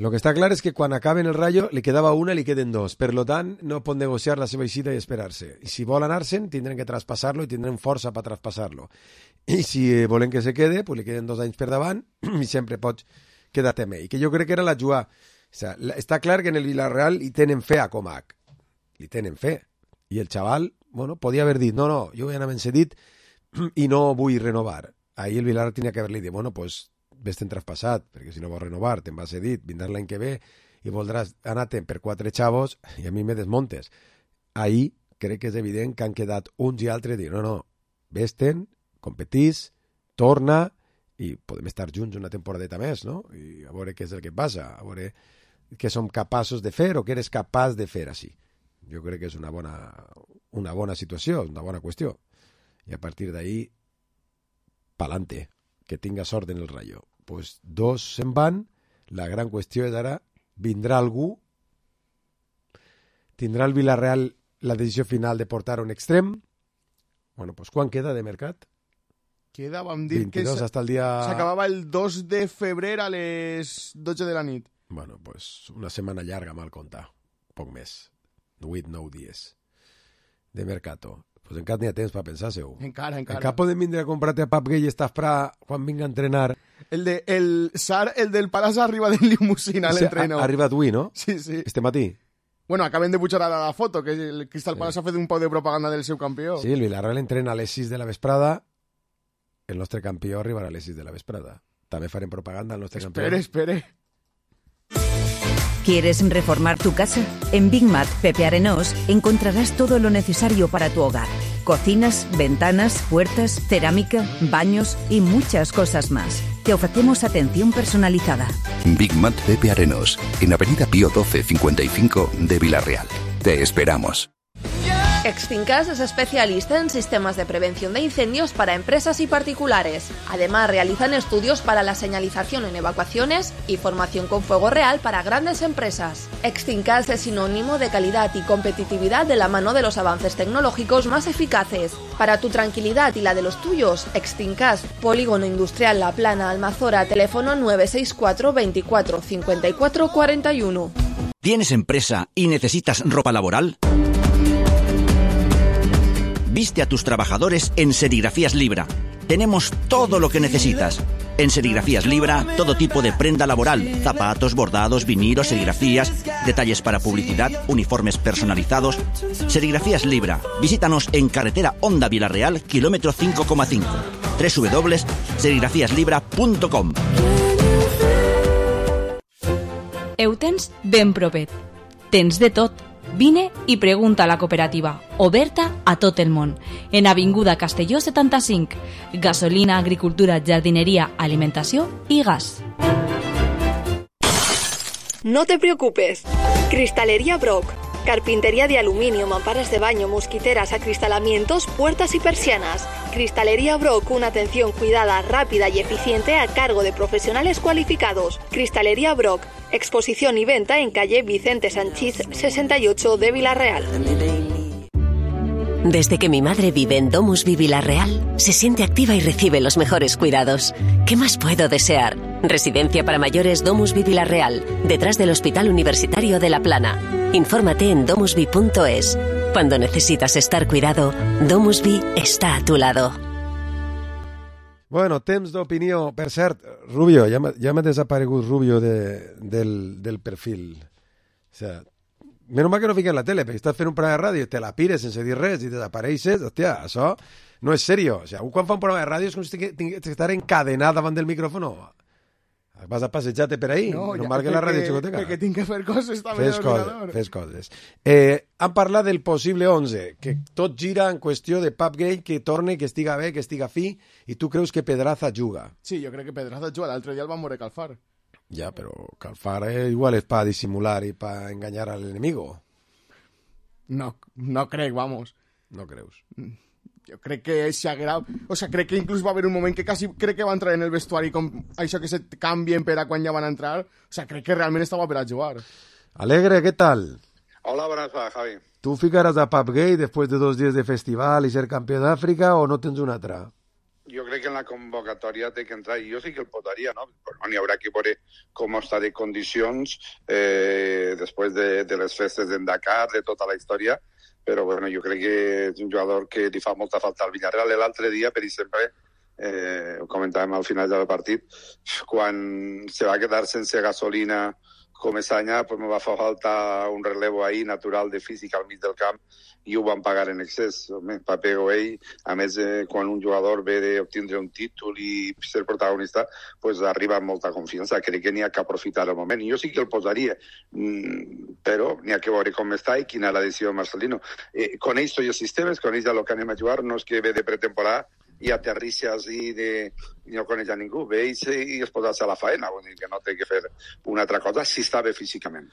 Lo que està clar és que quan acaben el Rayo li quedava una i li queden dos. Per lo tant, no pot negociar la seva eixida i esperar-se. I si volen anar-se'n, tindran que traspassar-lo i tindran força per traspassar-lo. I si volen que se quede, pues li queden dos anys per davant i sempre pots quédate amb ell, que jo crec que era la jugada. O sea, està clar que en el Villarreal hi tenen fe a Comac, li tenen fe, i el xaval, bueno, podia haver dit, no, no, jo ja n'havia cedit i no vull renovar. Ahí el Villarreal tenia que haver-li dit, bueno, pues ves-te'n traspassat, perquè si no vols renovar, te'n vas cedit, vindràs l'any que ve i voldràs anar-te'n per quatre xavos i a mi me desmontes. Ahí crec que és evident que han quedat uns i altres dir, no, no, ves-te'n, competís, torna i podem estar junts una temporadeta més, no? I a veure què és el que passa, a veure què som capaços de fer o què eres capaç de fer així. Jo crec que és una bona, una bona situació, una bona qüestió. I a partir d'ahí, pa'lante, que tinga sort en el Rayo. Pues dos se'n van, la gran qüestió és ara, vindrà algú, tindrà el Villarreal la decisió final de portar un extrem. Bueno, pues quan queda de mercat? Queda, vam dir veintidós que hasta el dia... s'acabava el dos de febrer a les dotze de la nit. Bueno, pues una setmana llarga, mal comptar. Poc més. Vuit, nou dies de mercato. Pues encara n'hi ha temps per pensar-se-ho. Encara, encara. Encara podem vindre a comprar-te a Pap Gay i Estafrà quan vinga a entrenar. El, de, el Sar, el del Palas arriba de limusina a l'entreno. Ha arribat avui, no? Sí, sí. Este matí. Bueno, acaben de pujar ara la foto, que el Crystal sí. Palace ha fet un poc de propaganda del seu campió. Sí, el Villarreal entrena a les sis de la vesprada. El nostre campió arribarà a les sis de la vesprada. També farem propaganda al nostre espere, campió. Espere, espere. ¿Quieres reformar tu casa? En Big Mat Pepe Arenós encontrarás todo lo necesario para tu hogar. Cocinas, ventanas, puertas, cerámica, baños y muchas cosas más. Te ofrecemos atención personalizada. Big Mat Pepe Arenós, en Avenida Pío doce cincuenta y cinco de Villarreal. Te esperamos. Extincas es especialista en sistemas de prevención de incendios para empresas y particulares. Además, realizan estudios para la señalización en evacuaciones y formación con fuego real para grandes empresas. Extincas es sinónimo de calidad y competitividad de la mano de los avances tecnológicos más eficaces. Para tu tranquilidad y la de los tuyos, Extincas, Polígono Industrial La Plana, Almazora, teléfono nueve seis cuatro veinticuatro cincuenta y cuatro cuarenta y uno. ¿Tienes empresa y necesitas ropa laboral? Viste a tus trabajadores en Serigrafías Libra. Tenemos todo lo que necesitas. En Serigrafías Libra, todo tipo de prenda laboral, zapatos, bordados, vinilos, serigrafías, detalles para publicidad, uniformes personalizados. Serigrafías Libra. Visítanos en carretera Honda Villarreal, kilómetro cinco coma cinco. doble u doble u doble u punto serigrafías libra punto com. Eutens ben propet. Tens de tot. Vine i pregunta a la cooperativa, oberta a tot el món. En Avinguda Castelló setanta-cinc. Gasolina, agricultura, jardineria, alimentació i gas. No te preocupes. Cristalería Brock. Carpintería de aluminio, mamparas de baño, mosquiteras, acristalamientos, puertas y persianas. Cristalería Brock, una atención cuidada, rápida y eficiente a cargo de profesionales cualificados. Cristalería Brock, exposición y venta en calle Vicente Sanchís sesenta y ocho de Villarreal. Desde que mi madre vive en Domusvi Villarreal, se siente activa y recibe los mejores cuidados. ¿Qué más puedo desear? Residencia para mayores Domusvi Villarreal, detrás del Hospital Universitario de La Plana. Infórmate en domusvi punto es. Cuando necesitas estar cuidado, Domusvi està a tu lado. Bueno, temps d'opinió. Per cert, Rubio, ja m'ha ja desaparegut Rubio de, del, del perfil. O sea, menys mal que no fiquen la tele, perquè estàs fent un programa de ràdio i te la pires sense dir res i desapareixes. Hòstia, això no és serio. O sea, un quan fa un programa de ràdio és com si tingués que estar encadenat davant del micròfono. Vas a passejar-te per ahí? No, no ja, mal que la ràdio xicoteca. Perquè tinc que fer coses també fes a l'ordinador. Coses, fes coses. Eh, han parlat del possible onze, que tot gira en qüestió de Papgate, que torne, que estiga bé, que estiga fi, i tu creus que Pedraza juga? Sí, jo crec que Pedraza juga. L'altre dia el van moure Calfar. Ja, però Calfar eh, igual és para disimular i para engañar al enemigo. No, no crec, vamos. No creus? Jo crec que s'agrada... O sea, crec que inclús va haver un moment que quasi crec que va entrar en el vestuari com això que se canvien per a quan ja van entrar. O sea, crec que realment estava per a jugar. Alegre, ¿qué tal? Hola, buenas tardes, Javi. ¿Tú ficarás a Papgate después de dos días de festival y ser campeón de África o no tens una altra? Jo crec que en la convocatòria té que entrar, i jo sí que el posaria, no? Però n'hi haurà que veure com està de condicions eh, després de, de les festes d'en Dakar, de tota la història, però bueno, jo crec que és un jugador que li fa molta falta al Villarreal. L'altre dia, per exemple, eh, ho comentàvem al final del partit, quan se va quedar sense gasolina Comesaña, pues me va fer falta un relevo ahí natural de físic al mig del camp i ho van pagar en excés. Pape Goey, a més, eh, quan un jugador ve d'obtindre un títol i ser protagonista, pues arriba amb molta confiança. Crec que n'hi ha que aprofitar el moment. I jo sí que el posaria, mm, però n'hi ha que veure com està i quina és la decisió de Marcelino. Eh, coneix tots els sistemes, coneix el que anem a jugar, no és que ve de pretemporada i aterrixes i, de, i no coneix a ningú. Ve i, se, i es posa a la faena, vull dir que no té que fer una altra cosa si està bé físicament.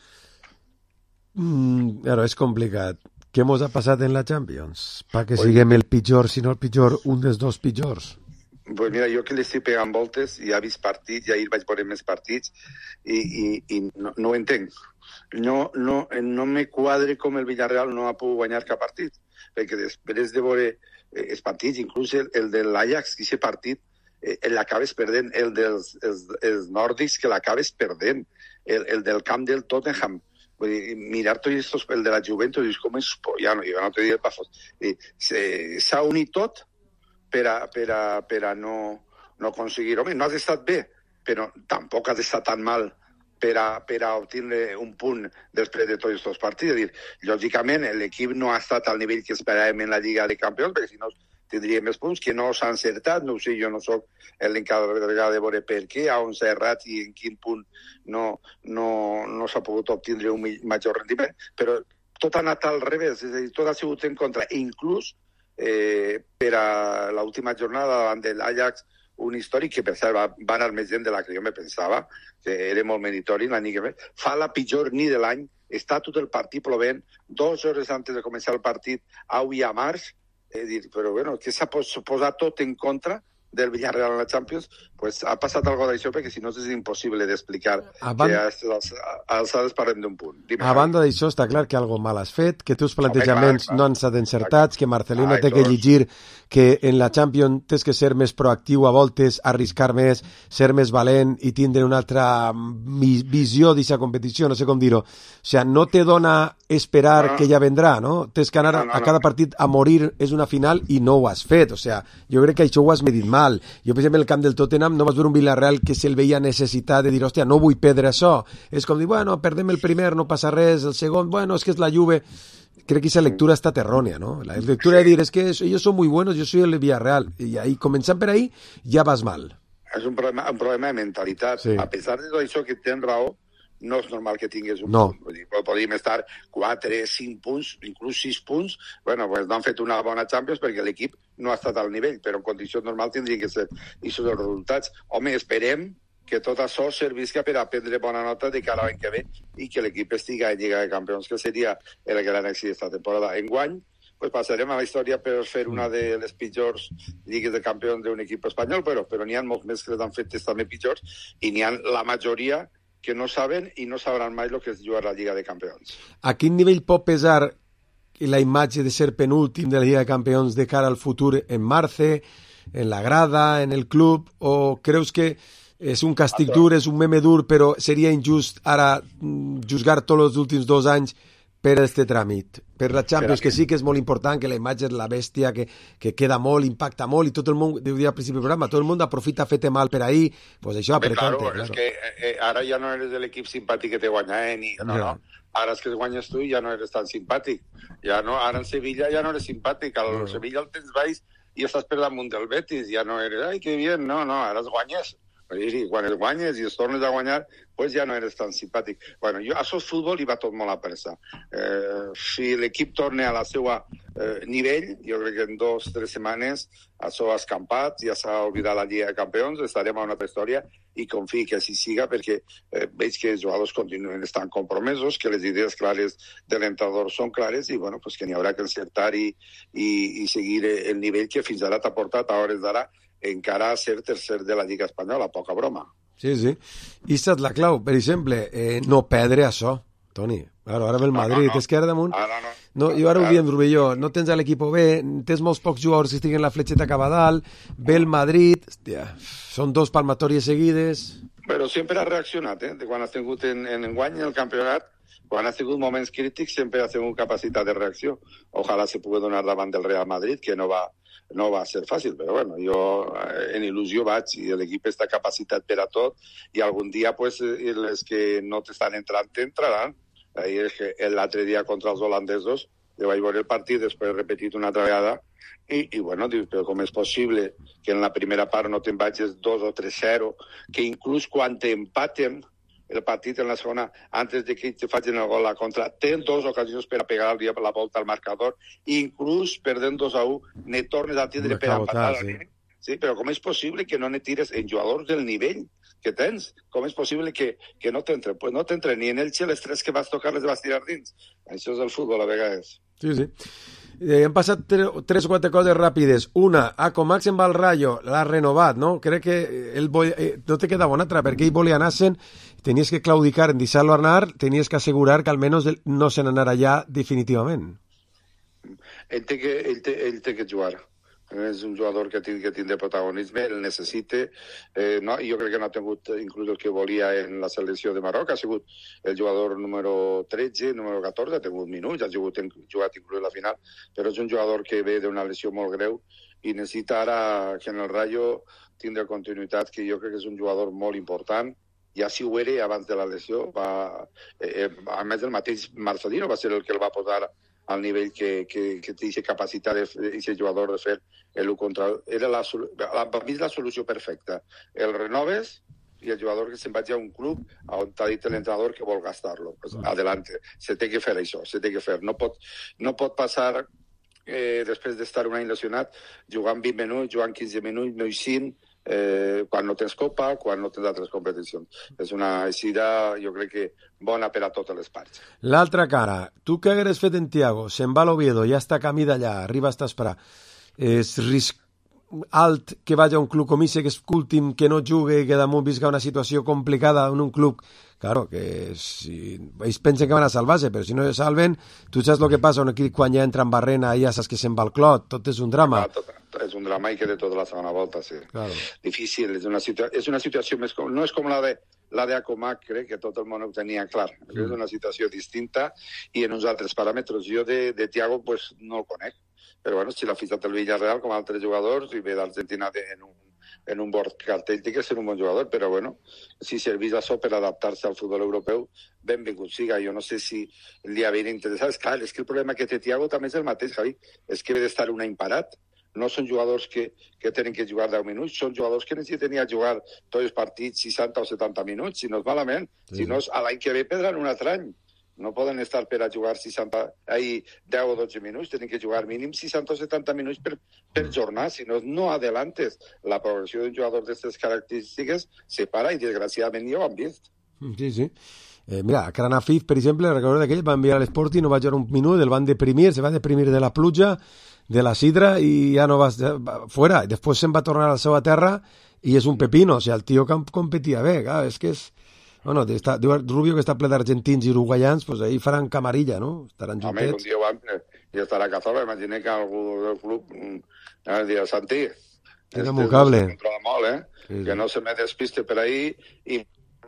Mm, però és complicat. Què mos ha passat en la Champions? Pa que siguem el pitjor, si no el pitjor, un dels dos pitjors. Pues mira, jo que l'estic pegant voltes, ja he vist partits, ja ahir vaig veure més partits, i, i, i no, no ho entenc. No, no, no me quadre com el Villarreal no ha pogut guanyar cap partit, perquè després de veure eh, els partits, inclús el, el de l'Ajax, aquest partit, eh, l'acabes perdent, el dels els, els nòrdics que l'acabes perdent, el, el del camp del Tottenham, vull dir, mirar tots estos, el de la Juventus, dius, com és pollano, jo no te diré pafos. S'ha unit tot per a, per a, per a no, no aconseguir. Home, no has estat bé, però tampoc has estat tan mal per a, per a obtenir un punt després de tots aquests partits. És dir, lògicament, l'equip no ha estat al nivell que esperàvem en la Lliga de Campions, perquè si no tindria més punts, que no s'ha encertat, no ho sé, jo no soc l'encarregat de veure per què, a on s'ha errat i en quin punt no, no, no s'ha pogut obtindre un major rendiment, però tot ha anat al revés, és a dir, tot ha sigut en contra, inclús eh, per a l'última jornada davant de l'Ajax, un històric que, per cert, va, va anar més gent de la que jo me pensava, que era molt meritori l'any que ve, fa la pitjor nit de l'any, està tot el partit plovent, dues hores antes de començar el partit, avui a març, eh, dir, però bueno, que s'ha posat tot en contra del Villarreal en la Champions, pues ha passat algo d'això, perquè si no és impossible d'explicar Abans... que a aquestes alçades parlem d'un punt. Dime, a banda d'això, està clar que algo mal has fet, que teus plantejaments Home, clar, clar. no han estat encertats, que Marcelino Ai, té que tots. llegir que en la Champions tens que ser més proactiu a voltes, arriscar més, ser més valent i tindre una altra visió d'aquesta competició, no sé com dir-ho. O sigui, no te dona esperar No. que ja vendrà, no? Tens que anar No, no, a no. cada partit a morir, és una final i no ho has fet. O sigui, jo crec que això ho has medit mal. Jo, per exemple, el camp del Tottenham no vas veure un Villarreal que se'l veia necessitat de dir, hòstia, no vull perdre això. És com dir, bueno, perdem el primer, no passa res, el segon, bueno, és que és la Juve. Crec que esa lectura está errónea, ¿no? La lectura de decir, es que ellos son muy buenos, yo soy el Villarreal. Y ahí, comenzant per ahí, ja vas mal. És un problema, un problema de mentalitat. Sí. A pesar de tot això que tens raó, no és normal que tingués un No. punt. Vull dir, podríem estar quatre, cinc punts, inclús sis punts. Bueno, pues no han fet una bona Champions perquè l'equip no ha estat al nivell, però en condicions normals tindrien que ser aquests els resultats. Home, esperem que tot això servisca per a prendre bona nota de cara a l'any que ve i que l'equip estigui a Lliga de Campions, que seria el gran èxit d'esta temporada. Enguany, pues passarem a la història per fer una de les pitjors lligues de campions d'un equip espanyol, però, però n'hi ha molts més que les han fetes també pitjors i n'hi ha la majoria que no saben i no sabran mai el que és jugar a la Lliga de Campions. A quin nivell pot pesar la imatge de ser penúltim de la Lliga de Campions de cara al futur en Marce, en la grada, en el club, o creus que és un càstig dur, és un meme dur, però seria injust ara juzgar tots els últims dos anys per este tràmit? Per la Champions, que sí que és molt important, que la imatge és la bèstia, que, que queda molt, impacta molt, i tot el món, deu dir al principi del programa, tot el món aprofita feta mal per ahí, pues això, Home, apretante. claro, Claro. és que eh, ara ja no eres de l'equip simpàtic que te guanya, eh? Ni, no, Ja. no. Ara és que guanyes tu i ja no eres tan simpàtic. Ja no, ara en Sevilla ja no eres simpàtic. Al No. Sevilla el tens baix i estàs per damunt del Betis. Ja no eres, ai, que bien. No, no, ara es guanyes. I quan es guanyes i es tornes a guanyar, pues ja no eres tan simpàtic. Bueno, jo, això és futbol i va tot molt a pressa. Eh, si l'equip torna a la seva eh, nivell, jo crec que en dos o tres setmanes això ha escampat, ja s'ha oblidat la Lliga de Campions, estarem a una altra història i confio que així siga perquè eh, veig que els jugadors continuen estant compromesos, que les idees clares de l'entrenador són clares i bueno, pues que n'hi haurà que encertar i, i, i seguir el nivell que fins ara t'ha portat a hores d'ara encara a ser tercer de la Lliga Espanyola, poca broma. Sí, sí. I és la clau, per exemple, eh, no perdre això, Toni. Claro, ara ve el Madrid, no, no. és que ara damunt... Ara no. No, jo ara ho diem, Rubelló, no tens l'equip bé, tens molts pocs jugadors que estiguen la fletxeta cap a dalt, ve el Madrid, hòstia, són dos palmatòries seguides... Però sempre ha reaccionat, eh? De quan has tingut en, en enguany en el campionat, quan has tingut moments crítics, sempre has tingut capacitat de reacció. Ojalà se pugui donar davant del Real Madrid, que no va, no va ser fàcil, però bueno, jo en il·lusió vaig i l'equip està capacitat per a tot i algun dia pues, les que no t'estan entrant, t'entraran. L'altre dia contra els holandesos, jo vaig veure el partit, després he repetit una altra vegada, i, i bueno, dius, però com és possible que en la primera part no te'n vagis dos o tres zero, que inclús quan t'empaten el partit en la segona, antes de que te facin el gol a contra, tens dues ocasions per a pegar la volta al marcador, inclús perdent dos a u, ne tornes a tindre per a empatar. Sí. Sí, però com és possible que no ne tires en jugadors del nivell que tens? Com és possible que, que no t'entre? Pues no t'entre ni en Elche, les tres que vas tocar les vas tirar dins. Això és el futbol a vegades. Sí, sí. Eh, han passat tre tres o quatre coses ràpides. Una, a Comax en va al Rayo, l'ha renovat, no? Crec que ell vol, eh, no te queda bona altra, perquè ell volia anar-se'n, tenies que claudicar en deixar-lo anar, tenies que assegurar que almenys no se n'anarà ja definitivament. Ell té que, ell té, ell té que jugar. És un jugador que tingui que tindre protagonisme, el necessita, eh, no? I jo crec que no ha tingut inclús el que volia en la selecció de Marroc, ha sigut el jugador número tretze, número catorze, ha tingut minuts, ha jugat, jugat inclús la final, però és un jugador que ve d'una lesió molt greu i necessita ara que en el Rayo tindre continuïtat, que jo crec que és un jugador molt important, ja si ho era abans de la lesió, va, eh, a més el mateix Marcelino va ser el que el va posar al nivell que, que, que té aquesta capacitat d'aquest jugador de fer l'u contra l'u. Era la, la, per mi és la solució perfecta. El renoves i el jugador que se'n vagi a un club on t'ha dit l'entrenador que vol gastar-lo. Pues adelante. Se té que fer això, se té que fer. No pot, no pot passar, eh, després d'estar un any lesionat, jugant vint minuts, jugant quinze minuts, no i cinc, eh, quan no tens copa, quan no tens altres competicions. És una eixida, jo crec que bona per a totes les parts. L'altra cara, tu què hagueres fet en Thiago? Se'n va a l'Oviedo, ja està camí d'allà, arriba a esperar. És risc alt que vagi a un club com ese, que és últim, que no jugui, que damunt visca una situació complicada en un club. Claro, que si ells pensen que van a salvar-se, però si no se salven, tu saps el que passa un equip quan ja entra en barrena, ja saps que se'n va el clot, tot és un drama. Ah, tot, és un drama i que de tota la segona volta, sí. Claro. Difícil, és una, situa és una situació més... Com... No és com la de la de Acomac, crec que tot el món ho tenia clar. Mm. És una situació distinta i en uns altres paràmetres. Jo de, de Thiago pues, no el conec. Però bueno, si l'ha fitxat el Villarreal com altres jugadors i ve d'Argentina en un, en un bon cartell, té que ser un bon jugador, però bueno, si servís això per adaptar-se al futbol europeu, benvingut siga. Jo no sé si li hauria interessat. És clar, és que el problema que té Thiago també és el mateix, Javi, és que ve d'estar un any parat. No són jugadors que, que tenen que jugar deu minuts, són jugadors que necessiten ja jugar tots els partits seixanta o setanta minuts, si no és malament, sí. Si no és a l'any que ve perdran un altre any. No poden estar per a jugar seixanta, ai, deu o dotze minuts, tenen que jugar mínim seixanta o setanta minuts per, per jornada, si no, no adelantes. La progressió d'un jugador d'aquestes característiques se para i desgraciadament ja ho han vist. Sí, sí. Eh, mira, Kranafif, per exemple, recordo d'aquell, va enviar a l'Sporting, no va jugar un minut, el van deprimir, se va deprimir de la pluja, de la sidra, i ja no va, va fora. I després se'n va tornar a la seva terra i és un pepino, o sigui, el tio competia bé, clar, és que és... Bueno, està, diu Rubio que està ple d'argentins i uruguaians, doncs ahí faran camarilla, no? Estaran juntets. Home, un dia van, i estarà a Cazorla, imagina que algú del club eh, dirà, Santi, tenen un cable. Se controla molt, eh? Sí, sí. Que no se me despiste per ahí i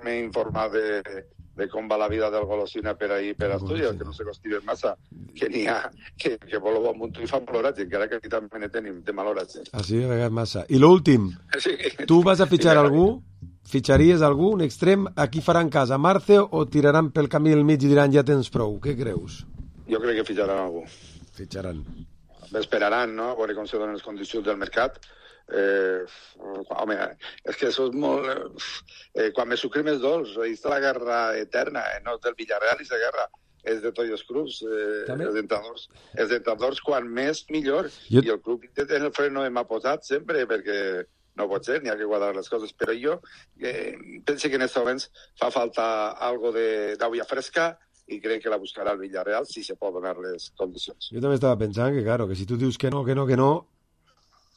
m'he informat de, de com va la vida del golosina per ahí, per Astúries, sí. Que no se costiven massa, que n'hi ha, que, que vol bon munt i fan plorat, encara que aquí també ne tenim de malorats. Eh? Així de vegades massa. I l'últim, sí. Tu vas a fitxar algú? Fitxaries algú, un extrem? Aquí faran casa Marce o tiraran pel camí del mig i diran ja tens prou? Què creus? Jo crec que fitxaran algú. Fitxaran. Esperaran, no?, a veure com se donen les condicions del mercat. Eh, home, és que això és molt... Eh, quan me sucrim els dolç, ahí està la guerra eterna, eh? No és del Villarreal i la guerra, és de tots els clubs. Eh, els entrenadors, els entrenadors, quan més, millor. Jo... I el club en el freno m'ha posat sempre, perquè... No pot ser, n'hi ha que guardar les coses, però jo eh, penso que en aquests moments fa falta algo d'aigua fresca i crec que la buscarà el Villarreal si se pot donar les condicions. Jo també estava pensant que, claro, que si tu dius que no, que no, que no,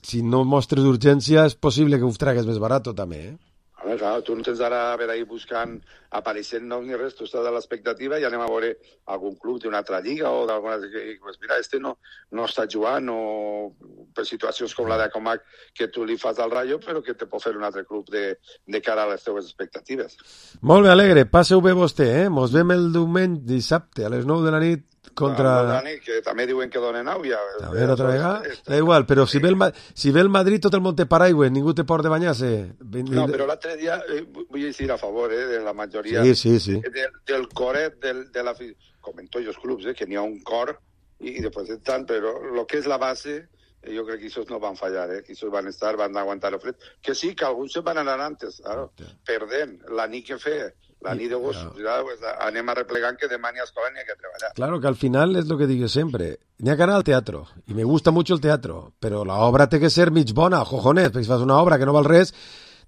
si no mostres urgència és possible que ho tragues més barat també, eh? A veure, clar, tu no tens ara a veure ahí buscant, apareixent noms ni res, tu estàs a l'expectativa i anem a veure algun club d'una altra lliga o d'alguna... Pues mira, este no, no està jugant o per situacions com la d'Acomac que tu li fas al Rayo, però que te pot fer un altre club de, de cara a les teves expectatives. Molt bé, Alegre, passeu bé vostè, eh? Mos vem el diumenge, dissabte, a les nou de la nit, contra... Ah, nit, que també diuen que donen àuia. A veure, otra vegada? Da igual, però si ve, el, si ve el Madrid tot el món té paraigües, ningú té por de banyar-se. No, però l'altre dia, eh, vull dir a favor eh, de la majoria sí, sí, sí. De, del coret del, de la... Com en tots els clubs, eh, que n'hi ha un cor i, i després estan, però el que és la base, eh, jo crec que aquests no van fallar, eh, que aquests van estar, van aguantar el fred. Que sí, que alguns se van anar antes, claro, perdent la nit que fer. La nit de gossos, ja, pues, anem a replegant que demà ni a escola ni a que treballar. Claro, que al final es lo que digo siempre, ni a que anar al teatro, y me gusta mucho el teatro, pero la obra té que ser mig bona, jojones, perquè si fas una obra que no val res,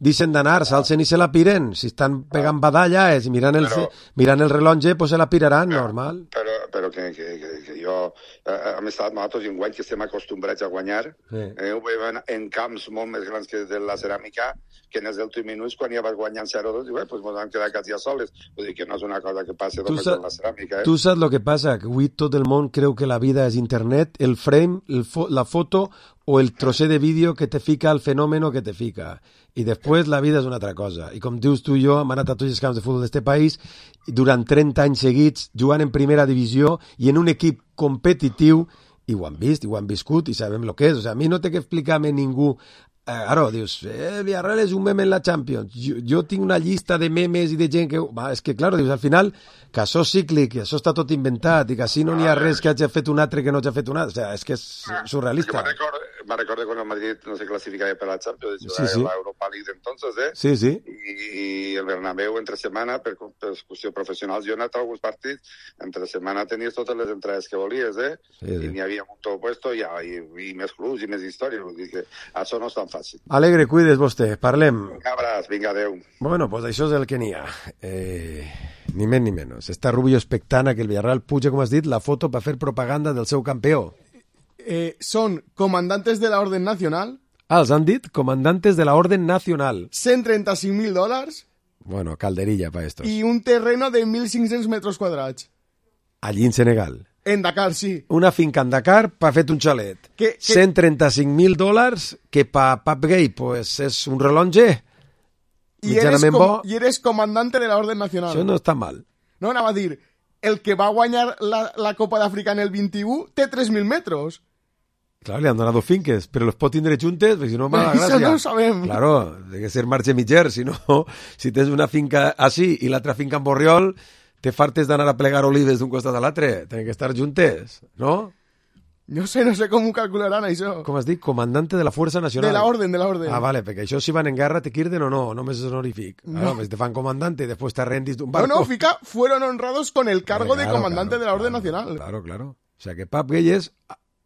deixen d'anar, s'alcen i se la piren, si estan pegant badalles i mirant el, però, mirant el rellotge, pues se la piraran, però, normal. Però, però que, que, que, que jo, eh, hem estat nosaltres en guany que estem acostumbrats a guanyar, sí. eh, ho veiem en camps molt més grans que de la ceràmica, que en els últims minuts, quan ja vas guanyant zero dos, diu, eh, pues ens vam quedar quasi a soles. Vull dir que no és una cosa que passi només en la ceràmica. Eh? Tu saps el que passa? Que avui tot el món creu que la vida és internet, el frame, el fo la foto o el trosset de vídeo que te fica el fenòmeno que te fica. I després la vida és una altra cosa. I com dius tu i jo, hem anat a tots els camps de futbol d'este país durant trenta anys seguits, jugant en primera divisió i en un equip competitiu, i ho han vist, i ho han viscut, i sabem el que és. O sigui, a mi no té que explicar-me ningú claro, dius, eh, el Villarreal és un meme en la Champions. Jo, jo tinc una llista de memes i de gent que... Va, és que, claro, dius, al final, que això és cíclic, que això està tot inventat i que així no n'hi ha res que hagi fet un altre que no hagi fet un altre. O sigui, és que és surrealista. Me recuerdo, me recuerdo cuando el Madrid no se clasificaba para la Champions, sí, sí. la Europa League entonces, ¿eh? Sí, sí. I, i el Bernabéu entre setmana, per, per excursió professional, jo he anat a alguns partits, entre setmana tenies totes les entrades que volies, eh? Sí, sí. I n'hi havia un tot puesto i, i, i més clubs i més històries. Vull dir que això no és tan fàcil. Alegre, cuides vostè, parlem. Un abraç, vinga, adeu. Bueno, pues això és el que n'hi ha. Eh, ni més ni menys. Està Rubio expectant a que el Villarreal puja, com has dit, la foto per fer propaganda del seu campió. Eh, són comandantes de la Orden Nacional. Ah, els han dit comandantes de la Orden Nacional. cent trenta-cinc mil dòlars. Bueno, calderilla para estos. I un terreno de mil cinc-cents metres quadrats. Allí en Senegal. En Dakar, sí. Una finca en Dakar per fet un xalet. Que, que... cent trenta-cinc mil dòlars, que per Pap Gay pues, és un relonge I eres, com, I eres comandante de la Orden Nacional. Això no està mal. No, anava a dir, el que va guanyar la, la Copa d'Àfrica en el vint-i-u té tres mil metres. Claro, le han donado finques, pero los pot tindre juntes, perquè si no, mala gràcia. Això no ho sabem. Claro, ha que ser marge mitger, si no, si tens una finca així i l'altra finca en Borriol, te fartes d'anar a plegar olives d'un costat a l'altre. Tenen que estar juntes, no? No sé, no sé com ho calcularan, això. Com has dit? Comandante de la Fuerza Nacional. De la Orden, de la Orden. Ah, vale, perquè això si van en guerra te quirden o no, només és honorífic. No. Claro, pues te fan comandante y después te rendis d'un barco. No, no, fica, fueron honrados con el cargo Vale, claro, de comandante claro, de la Orden claro, Nacional. Claro, claro. O sea que Pap Gay es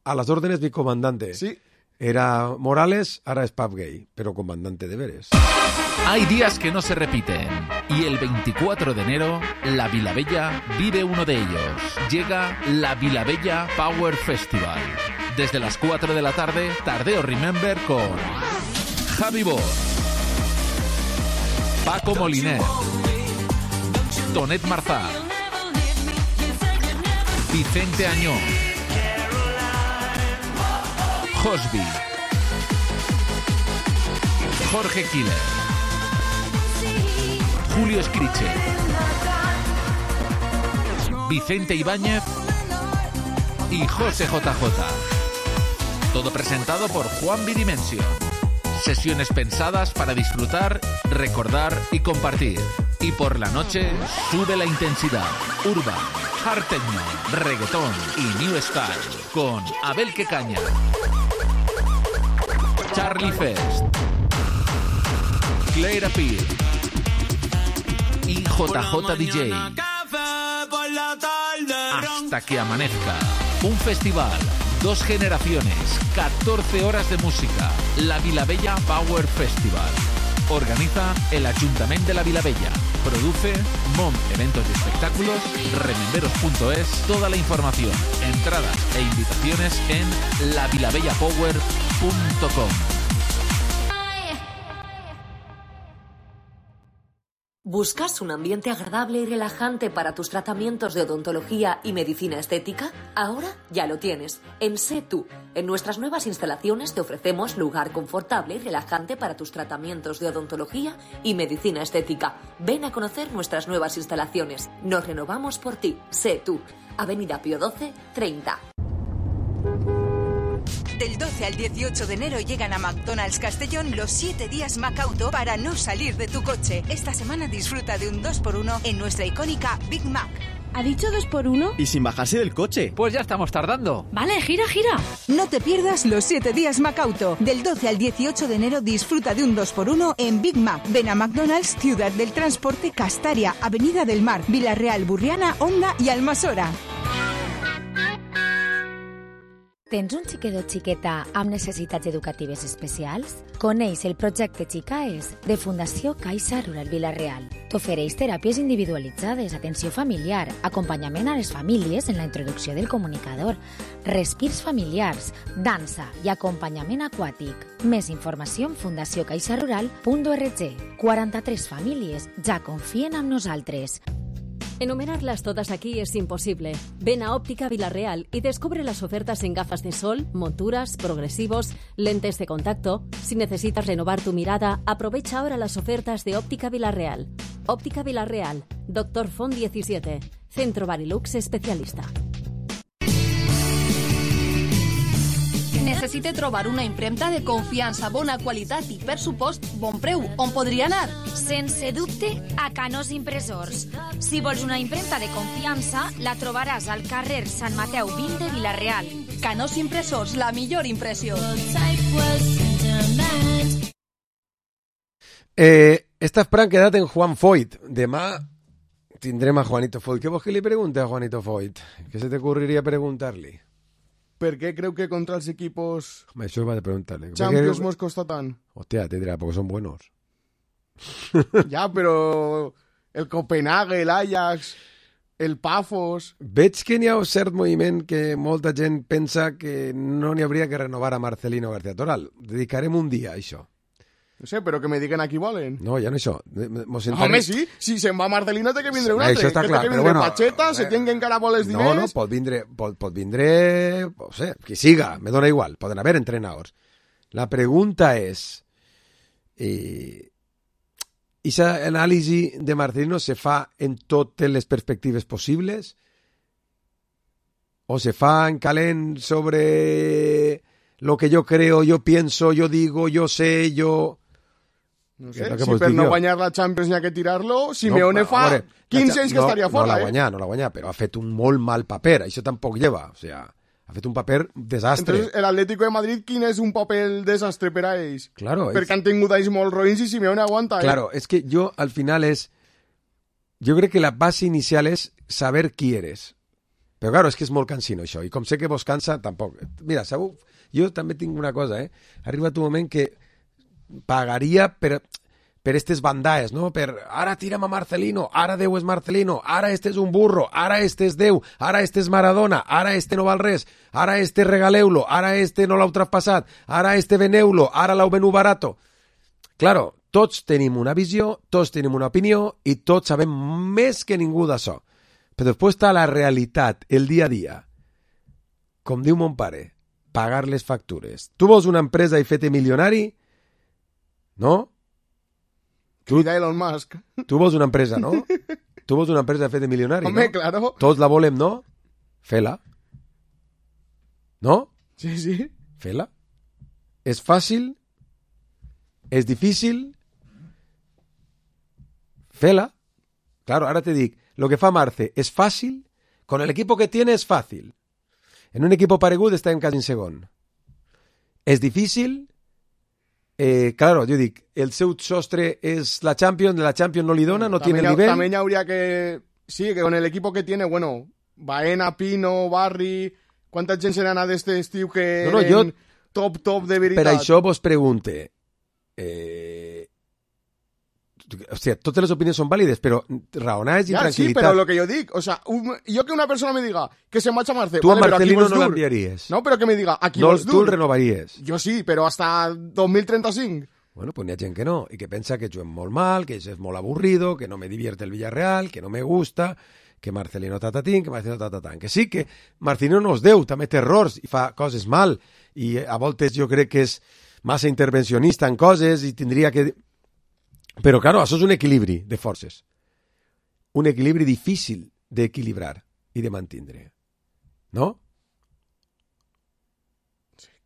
a las órdenes mi comandante. Sí. Era Morales, ahora es Pap Gay, pero comandante de veres. Hay días que no se repiten y el veinticuatro de enero la Vilabella vive uno de ellos. Llega la Vilabella Power Festival. Desde las cuatro de la tarde, Tardeo Remember con Javi Bor, Paco Moliner, Tonet Marzá, Vicente Añón, Josby, Jorge Killer, Julio Escriche, Vicente Ibáñez y José J J. Todo presentado por Juan Bidimension. Sesiones pensadas para disfrutar, recordar y compartir. Y por la noche sube la intensidad. Urban, hard techno, reggaetón y new style con Abel Quecaña, Charlie Fest, Claire Appeal y J J D J. Hasta que amanezca. Un festival, dos generaciones, catorce horas de música. La Vilabella Power Festival. Organiza el Ayuntamiento de la Vilabella. Produce Mom Eventos y Espectáculos, rememberos punto es. Toda la información, entradas e invitaciones en la vilabella power punto com. ¿Buscas un ambiente agradable y relajante para tus tratamientos de odontología y medicina estética? Ahora ya lo tienes. En Sé Tú. En nuestras nuevas instalaciones te ofrecemos lugar confortable y relajante para tus tratamientos de odontología y medicina estética. Ven a conocer nuestras nuevas instalaciones. Nos renovamos por ti. Sé Tú. Avenida Pío doce, treinta. Del doce al dieciocho de enero llegan a McDonald's Castellón los siete días Macauto para no salir de tu coche. Esta semana disfruta de un dos por uno en nuestra icónica Big Mac. ¿Ha dicho dos por uno? Y sin bajarse del coche. Pues ya estamos tardando. Vale, gira, gira. No te pierdas los siete días Macauto. Del doce al dieciocho de enero disfruta de un dos por uno en Big Mac. Ven a McDonald's, Ciudad del Transporte, Castaria, Avenida del Mar, Villarreal, Burriana, Onda i Almassora. Tens un xiquet o xiqueta amb necessitats educatives especials? Coneix el projecte Xicaes de Fundació Caixa Rural Vila-real. T'ofereix teràpies individualitzades, atenció familiar, acompanyament a les famílies en la introducció del comunicador, respirs familiars, dansa i acompanyament aquàtic. Més informació en fundació caixa rural punt org. quaranta-tres famílies ja confien en nosaltres. Enumerarlas todas aquí es imposible. Ven a Óptica Vila-real y descubre las ofertas en gafas de sol, monturas, progresivos, lentes de contacto. Si necesitas renovar tu mirada, aprovecha ahora las ofertas de Óptica Vila-real. Óptica Vila-real, Doctor Font diecisiete, Centro Barilux Especialista. Necessite trobar una impremta de confiança, bona qualitat i, per supost, bon preu. On podria anar? Sense dubte, a Canós Impressors. Si vols una impremta de confiança, la trobaràs al carrer Sant Mateu vint de Vila-real. Canós Impressors, la millor impressió. Eh, esta Fran quedat en Juan Foyt. Demà tindrem a Juanito Foyt. Què vols que li pregunte a Juanito Foyt? Què se t'ocurriria preguntar-li? Per què creu que contra els equipos Home, això va de preguntar-li. Champions mos costa tant? Hostia, te dirà, porque son buenos. Ja, però el Copenhague, el Ajax, el Pafos... Veig que n'hi ha un cert moviment que molta gent pensa que no n'hi hauria que renovar a Marcelino García Toral. Dedicarem un dia a això. No sé, però que me diguen a qui volen. No, ja no això. Mos entarem... Home, sí, si se'n va Marcelino té que vindre un altre. Això està clar, que però vindre bueno... Pacheta, se tinguen encara molt els diners... No, no, pot vindre, pot, pot vindre, no sé, qui siga, me dona igual, poden haver entrenadors. La pregunta és, eh, esa anàlisi de Marcelino se fa en totes les perspectives possibles o se fa en calent sobre lo que yo creo, yo pienso, yo digo, yo sé, yo... No sé, si per no guanyar la Champions n'hi ha que tirar-lo, Simeone no, fa veure, quinze anys que no, estaria fora, no la eh? guanyà, no la guanyà, però ha fet un molt mal paper, això tampoc lleva, o sea, ha fet un paper desastre. Entonces, el Atlético de Madrid, quin és un paper desastre per a ells? Claro, perquè és... han tingut anys molt roïns i Simeone aguanta, eh? Claro, es que yo al final es... Yo creo que la base inicial es saber qui eres. Però claro, és que és molt cansino això, i com sé que vos cansa, tampoc. Mira, segur, jo també tinc una cosa, eh? Ha arribat un moment que pagaria per... per estes bandaes, no? Per ara tira'm a Marcelino, ara Déu és Marcelino, ara este és un burro, ara este és Déu, ara este és Maradona, ara este no val res, ara este regaleu-lo, ara este no l'heu traspassat, ara este veneu-lo, ara l'heu venut barato. Claro, tots tenim una visió, tots tenim una opinió i tots sabem més que ningú d'això. Però després està la realitat, el dia a dia. Com diu mon pare, pagar les factures. Tu vols una empresa i fer-te milionari? No? Tu, Elon Musk. Tu vols una empresa, no? Tu vols una empresa fet de milionari, Home, no? claro. Tots la volem, no? Fela. No? Sí, sí. Fela. És fàcil? És difícil? Fela. Claro, ahora te dic, lo que fa Marce és fàcil? Con el equipo que tiene es fàcil. En un equipo paregut està en quasi en segon. És difícil? Eh, claro, yo digo, el seu sostre es la Champions, la Champions no li dona, no también, tiene el nivel. También habría que... Sí, que con el equipo que tiene, bueno, Baena, Pino, Barri... ¿Cuánta gent serà d'este estiu que no, no, jo, top, top de veritat? Per això vos pregunte... Eh, o sea, totes les opinions són vàlides, però raonades i ja, tranquil·litat. Sí, però lo que jo dic, o sea, un, jo que una persona me diga que se marcha Marce... Tu vale, a Marcelino no l'enviaries. No, però que me diga, aquí no, vols dur. Tu el renovaries. Jo sí, però hasta dos mil trenta-cinc. Bueno, pues n'hi ha gent que no, i que pensa que juguem molt mal, que és molt aburrido, que no me divierte el Villarreal, que no me gusta, que Marcelino tatatín, que Marcelino tatatán. Que sí, que Marcelino no és Déu, també té errors i fa coses mal, i a voltes jo crec que és massa intervencionista en coses i tindria que... Però, claro, això és un equilibri de forces. Un equilibri difícil d'equilibrar i de mantindre. No?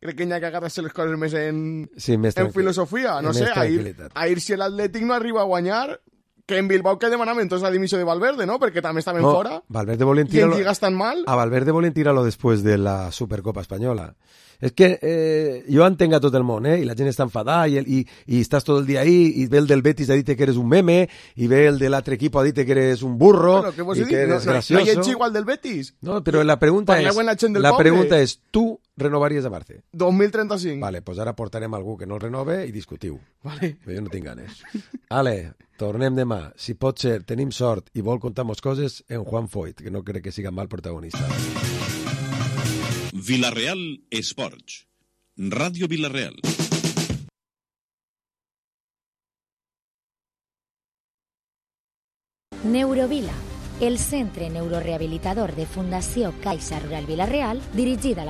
Crec que hi ha que agarrar-se les coses més en, sí, més en filosofia. No sé, ahir, ahir si l'Atlètic no arriba a guanyar, que en Bilbao que demanament entonces la dimissió de Valverde, no? Perquè també estaven no, fora. Valverde volien I en lligas tan mal. A Valverde volien tirar-lo després de la Supercopa Espanyola. És que eh, jo entenc a tot el món, eh? I la gent està enfadada i, i, i estàs tot el dia ahí i ve el del Betis a dir que eres un meme i ve el de l'altre equip a dir que eres un burro bueno, que i que eres no, gracioso. No hi ets igual del Betis. No, però la pregunta Parleu és, la, la pregunta és, tu renovaries a Marce? dos mil trenta-cinc. Vale, pues ara portarem algú que no el renove i discutiu. Vale. Però jo no tinc ganes. Ale, tornem demà. Si pot ser, tenim sort i vol contar-nos coses en Juan Foyt, que no crec que siga mal protagonista. Villarreal Esports. Ràdio Villarreal. Neurovila, el centre neurorehabilitador de Fundació Caixa Rural Villarreal, dirigida a la